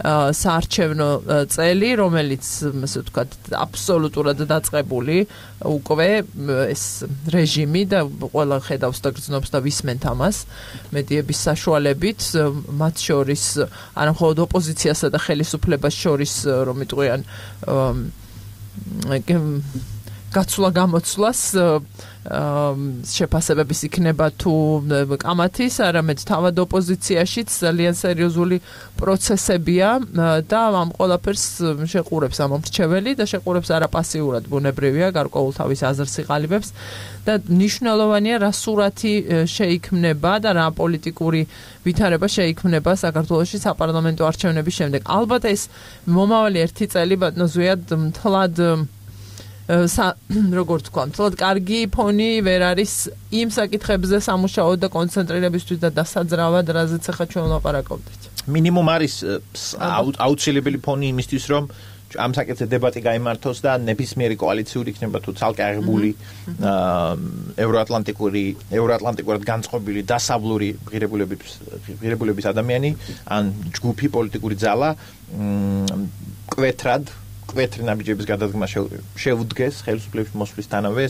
საარჩევნო წელი, რომელიც, ასე ვთქვათ, აბსოლუტურად დაწყებული უკვე ეს რეჟიმი და ყველა ხედავს და გრძნობს და ვისმენთ ამას მედიების საშუალებით, მათ შორის არა მხოლოდ ოპოზიციასა და ხელისუფლებას შორის, რომ იტყვიან გაცვლა გამოცვლას შეფასებების იქნება თუ კამათის, არამედ თავად ოპოზიციაშიც ძალიან სერიოზული პროცესებია და ამ ყველაფერს შეყურებს ამ მრჩეველი და შეყურებს არა პასიურად ბუნებრივია, გარკვეულ თავის აზრს იყალიბებს და მნიშვნელოვანია რა სურათი შეიქმნება და რა პოლიტიკური ვითარება შეიქმნება საქართველოში საპარლამენტო არჩევნების შემდეგ. ალბათ ეს მომავალი ერთი წელი ბატონო ზვიად მთლად როგორ თქვა, თლად კარგი ფონი ვერ არის იმ საკითხებზე სამუშაოდ და კონცენტრირებისთვის და დასაძრავად, რაზეც ახლა ჩვენ ვლაპარაკობდით. მინიმუმ არის აუცილებელი ფონი იმისთვის, რომ ამ საკითხზე დებატი გაიმართოს და ნებისმიერი კოალიციური იქნება თუ ცალკე აღებული ევროატლანტიკური ევროატლანტიკურად განწყობილი დასავლური ღირებულების ღირებულების ადამიანი ან ჯგუფი პოლიტიკური ძალა კვეთრად კვეთრი ნაბიჯების გადადგმა შეუდგეს ხელისუფლების მოსვლისთანავე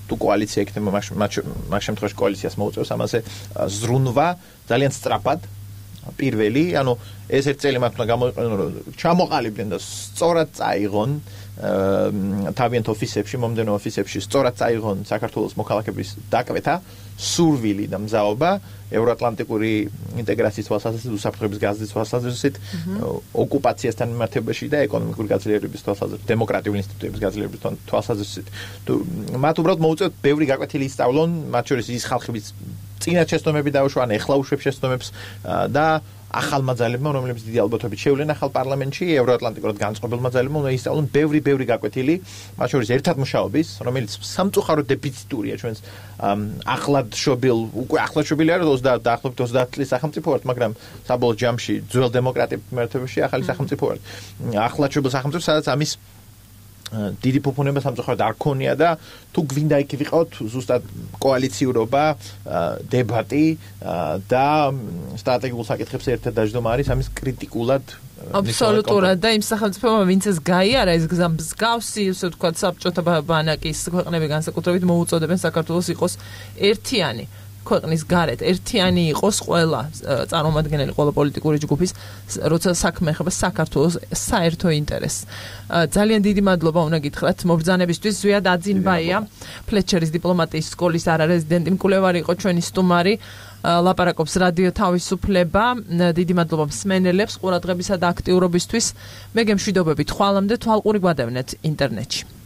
თუ კოალიცია იქნება მაგ შემთხვევაში კოალიციას მოუწევს ამაზე ზრუნვა ძალიან სწრაფად პირველი, ანუ ეს ერთ წელი მათ უნდა გამოიყენონ, რომ ჩამოყალიბდნენ და სწორად წაიღონ თავიანთ ოფისებში, მომდევნო ოფისებში სწორად წაიღონ საქართველოს მოქალაქეების დაკვეთა, სურვილი და მზაობა ევროატლანტიკური ინტეგრაციის თვალსაზრისით, უსაფრთხოების გაზრდის თვალსაზრისით, ოკუპაციასთან მიმართებაში და ეკონომიკური გაძლიერების თვალსაზრისით, დემოკრატიული ინსტიტუტების გაძლიერების თვალსაზრისით. მათ უბრალოდ მოუწევთ ბევრი გაკვეთილი ისწავლონ, მათ შორის ის ხალხების წინა შეცდომები დაუშვან, ეხლა უშვებ შეცდომებს და ახალმა ძალებმა, რომლებიც დიდი ალბათობით შევლენ ახალ პარლამენტში, ევროატლანტიკურად განწყობილმა ძალებმა უნდა ისწავლონ ბევრი ბევრი გაკვეთილი, მათ შორის ერთად მუშაობის, რომელიც სამწუხაროდ დეფიციტურია ჩვენს ახლად შობილ, უკვე ახლად შობილი არის ოცდაათ დაახლოებით ოცდაათ წლის სახელმწიფო ვართ, მაგრამ საბოლოო ჯამში ძველ დემოკრატიების მიმართებაში ახალი სახელმწიფო ვართ. ახლად შობილ სახელმწიფო, სადაც ამის დიდი ფუფუნება სამწუხაროდ არ ქონია და თუ გვინდა იქ ვიყავთ ზუსტად კოალიციურობა, დებატი და სტრატეგიულ საკითხებს ერთად დაждდომა არის ამის კრიტიკულად აბსოლუტურად და იმ სახელმწიფოებმა ვინც ეს გაიარა ეს გზა მსგავსი ისე ვთქვათ საბჭოთა ბანაკის ქვეყნები განსაკუთრებით მოუწოდებენ საქართველოს იყოს ერთიანი ქვეყნის გარეთ ერთიანი იყოს ყველა წარმომადგენელი ყველა პოლიტიკური ჯგუფის როცა საქმე ეხება საქართველოს საერთო ინტერესს. ძალიან დიდი მადლობა უნდა გითხრათ მობრძანებისთვის. ზვიად აძინბაია ფლეჩერის დიპლომატიის სკოლის არარეზიდენტი მკვლევარი იყო ჩვენი სტუმარი. ლაპარაკობს რადიო თავისუფლება. დიდი მადლობა მსმენელებს ყურადღებისა და აქტიურობისთვის. მე გემშვიდობებით ხვალამდე თვალყური გვადევნეთ ინტერნეტში.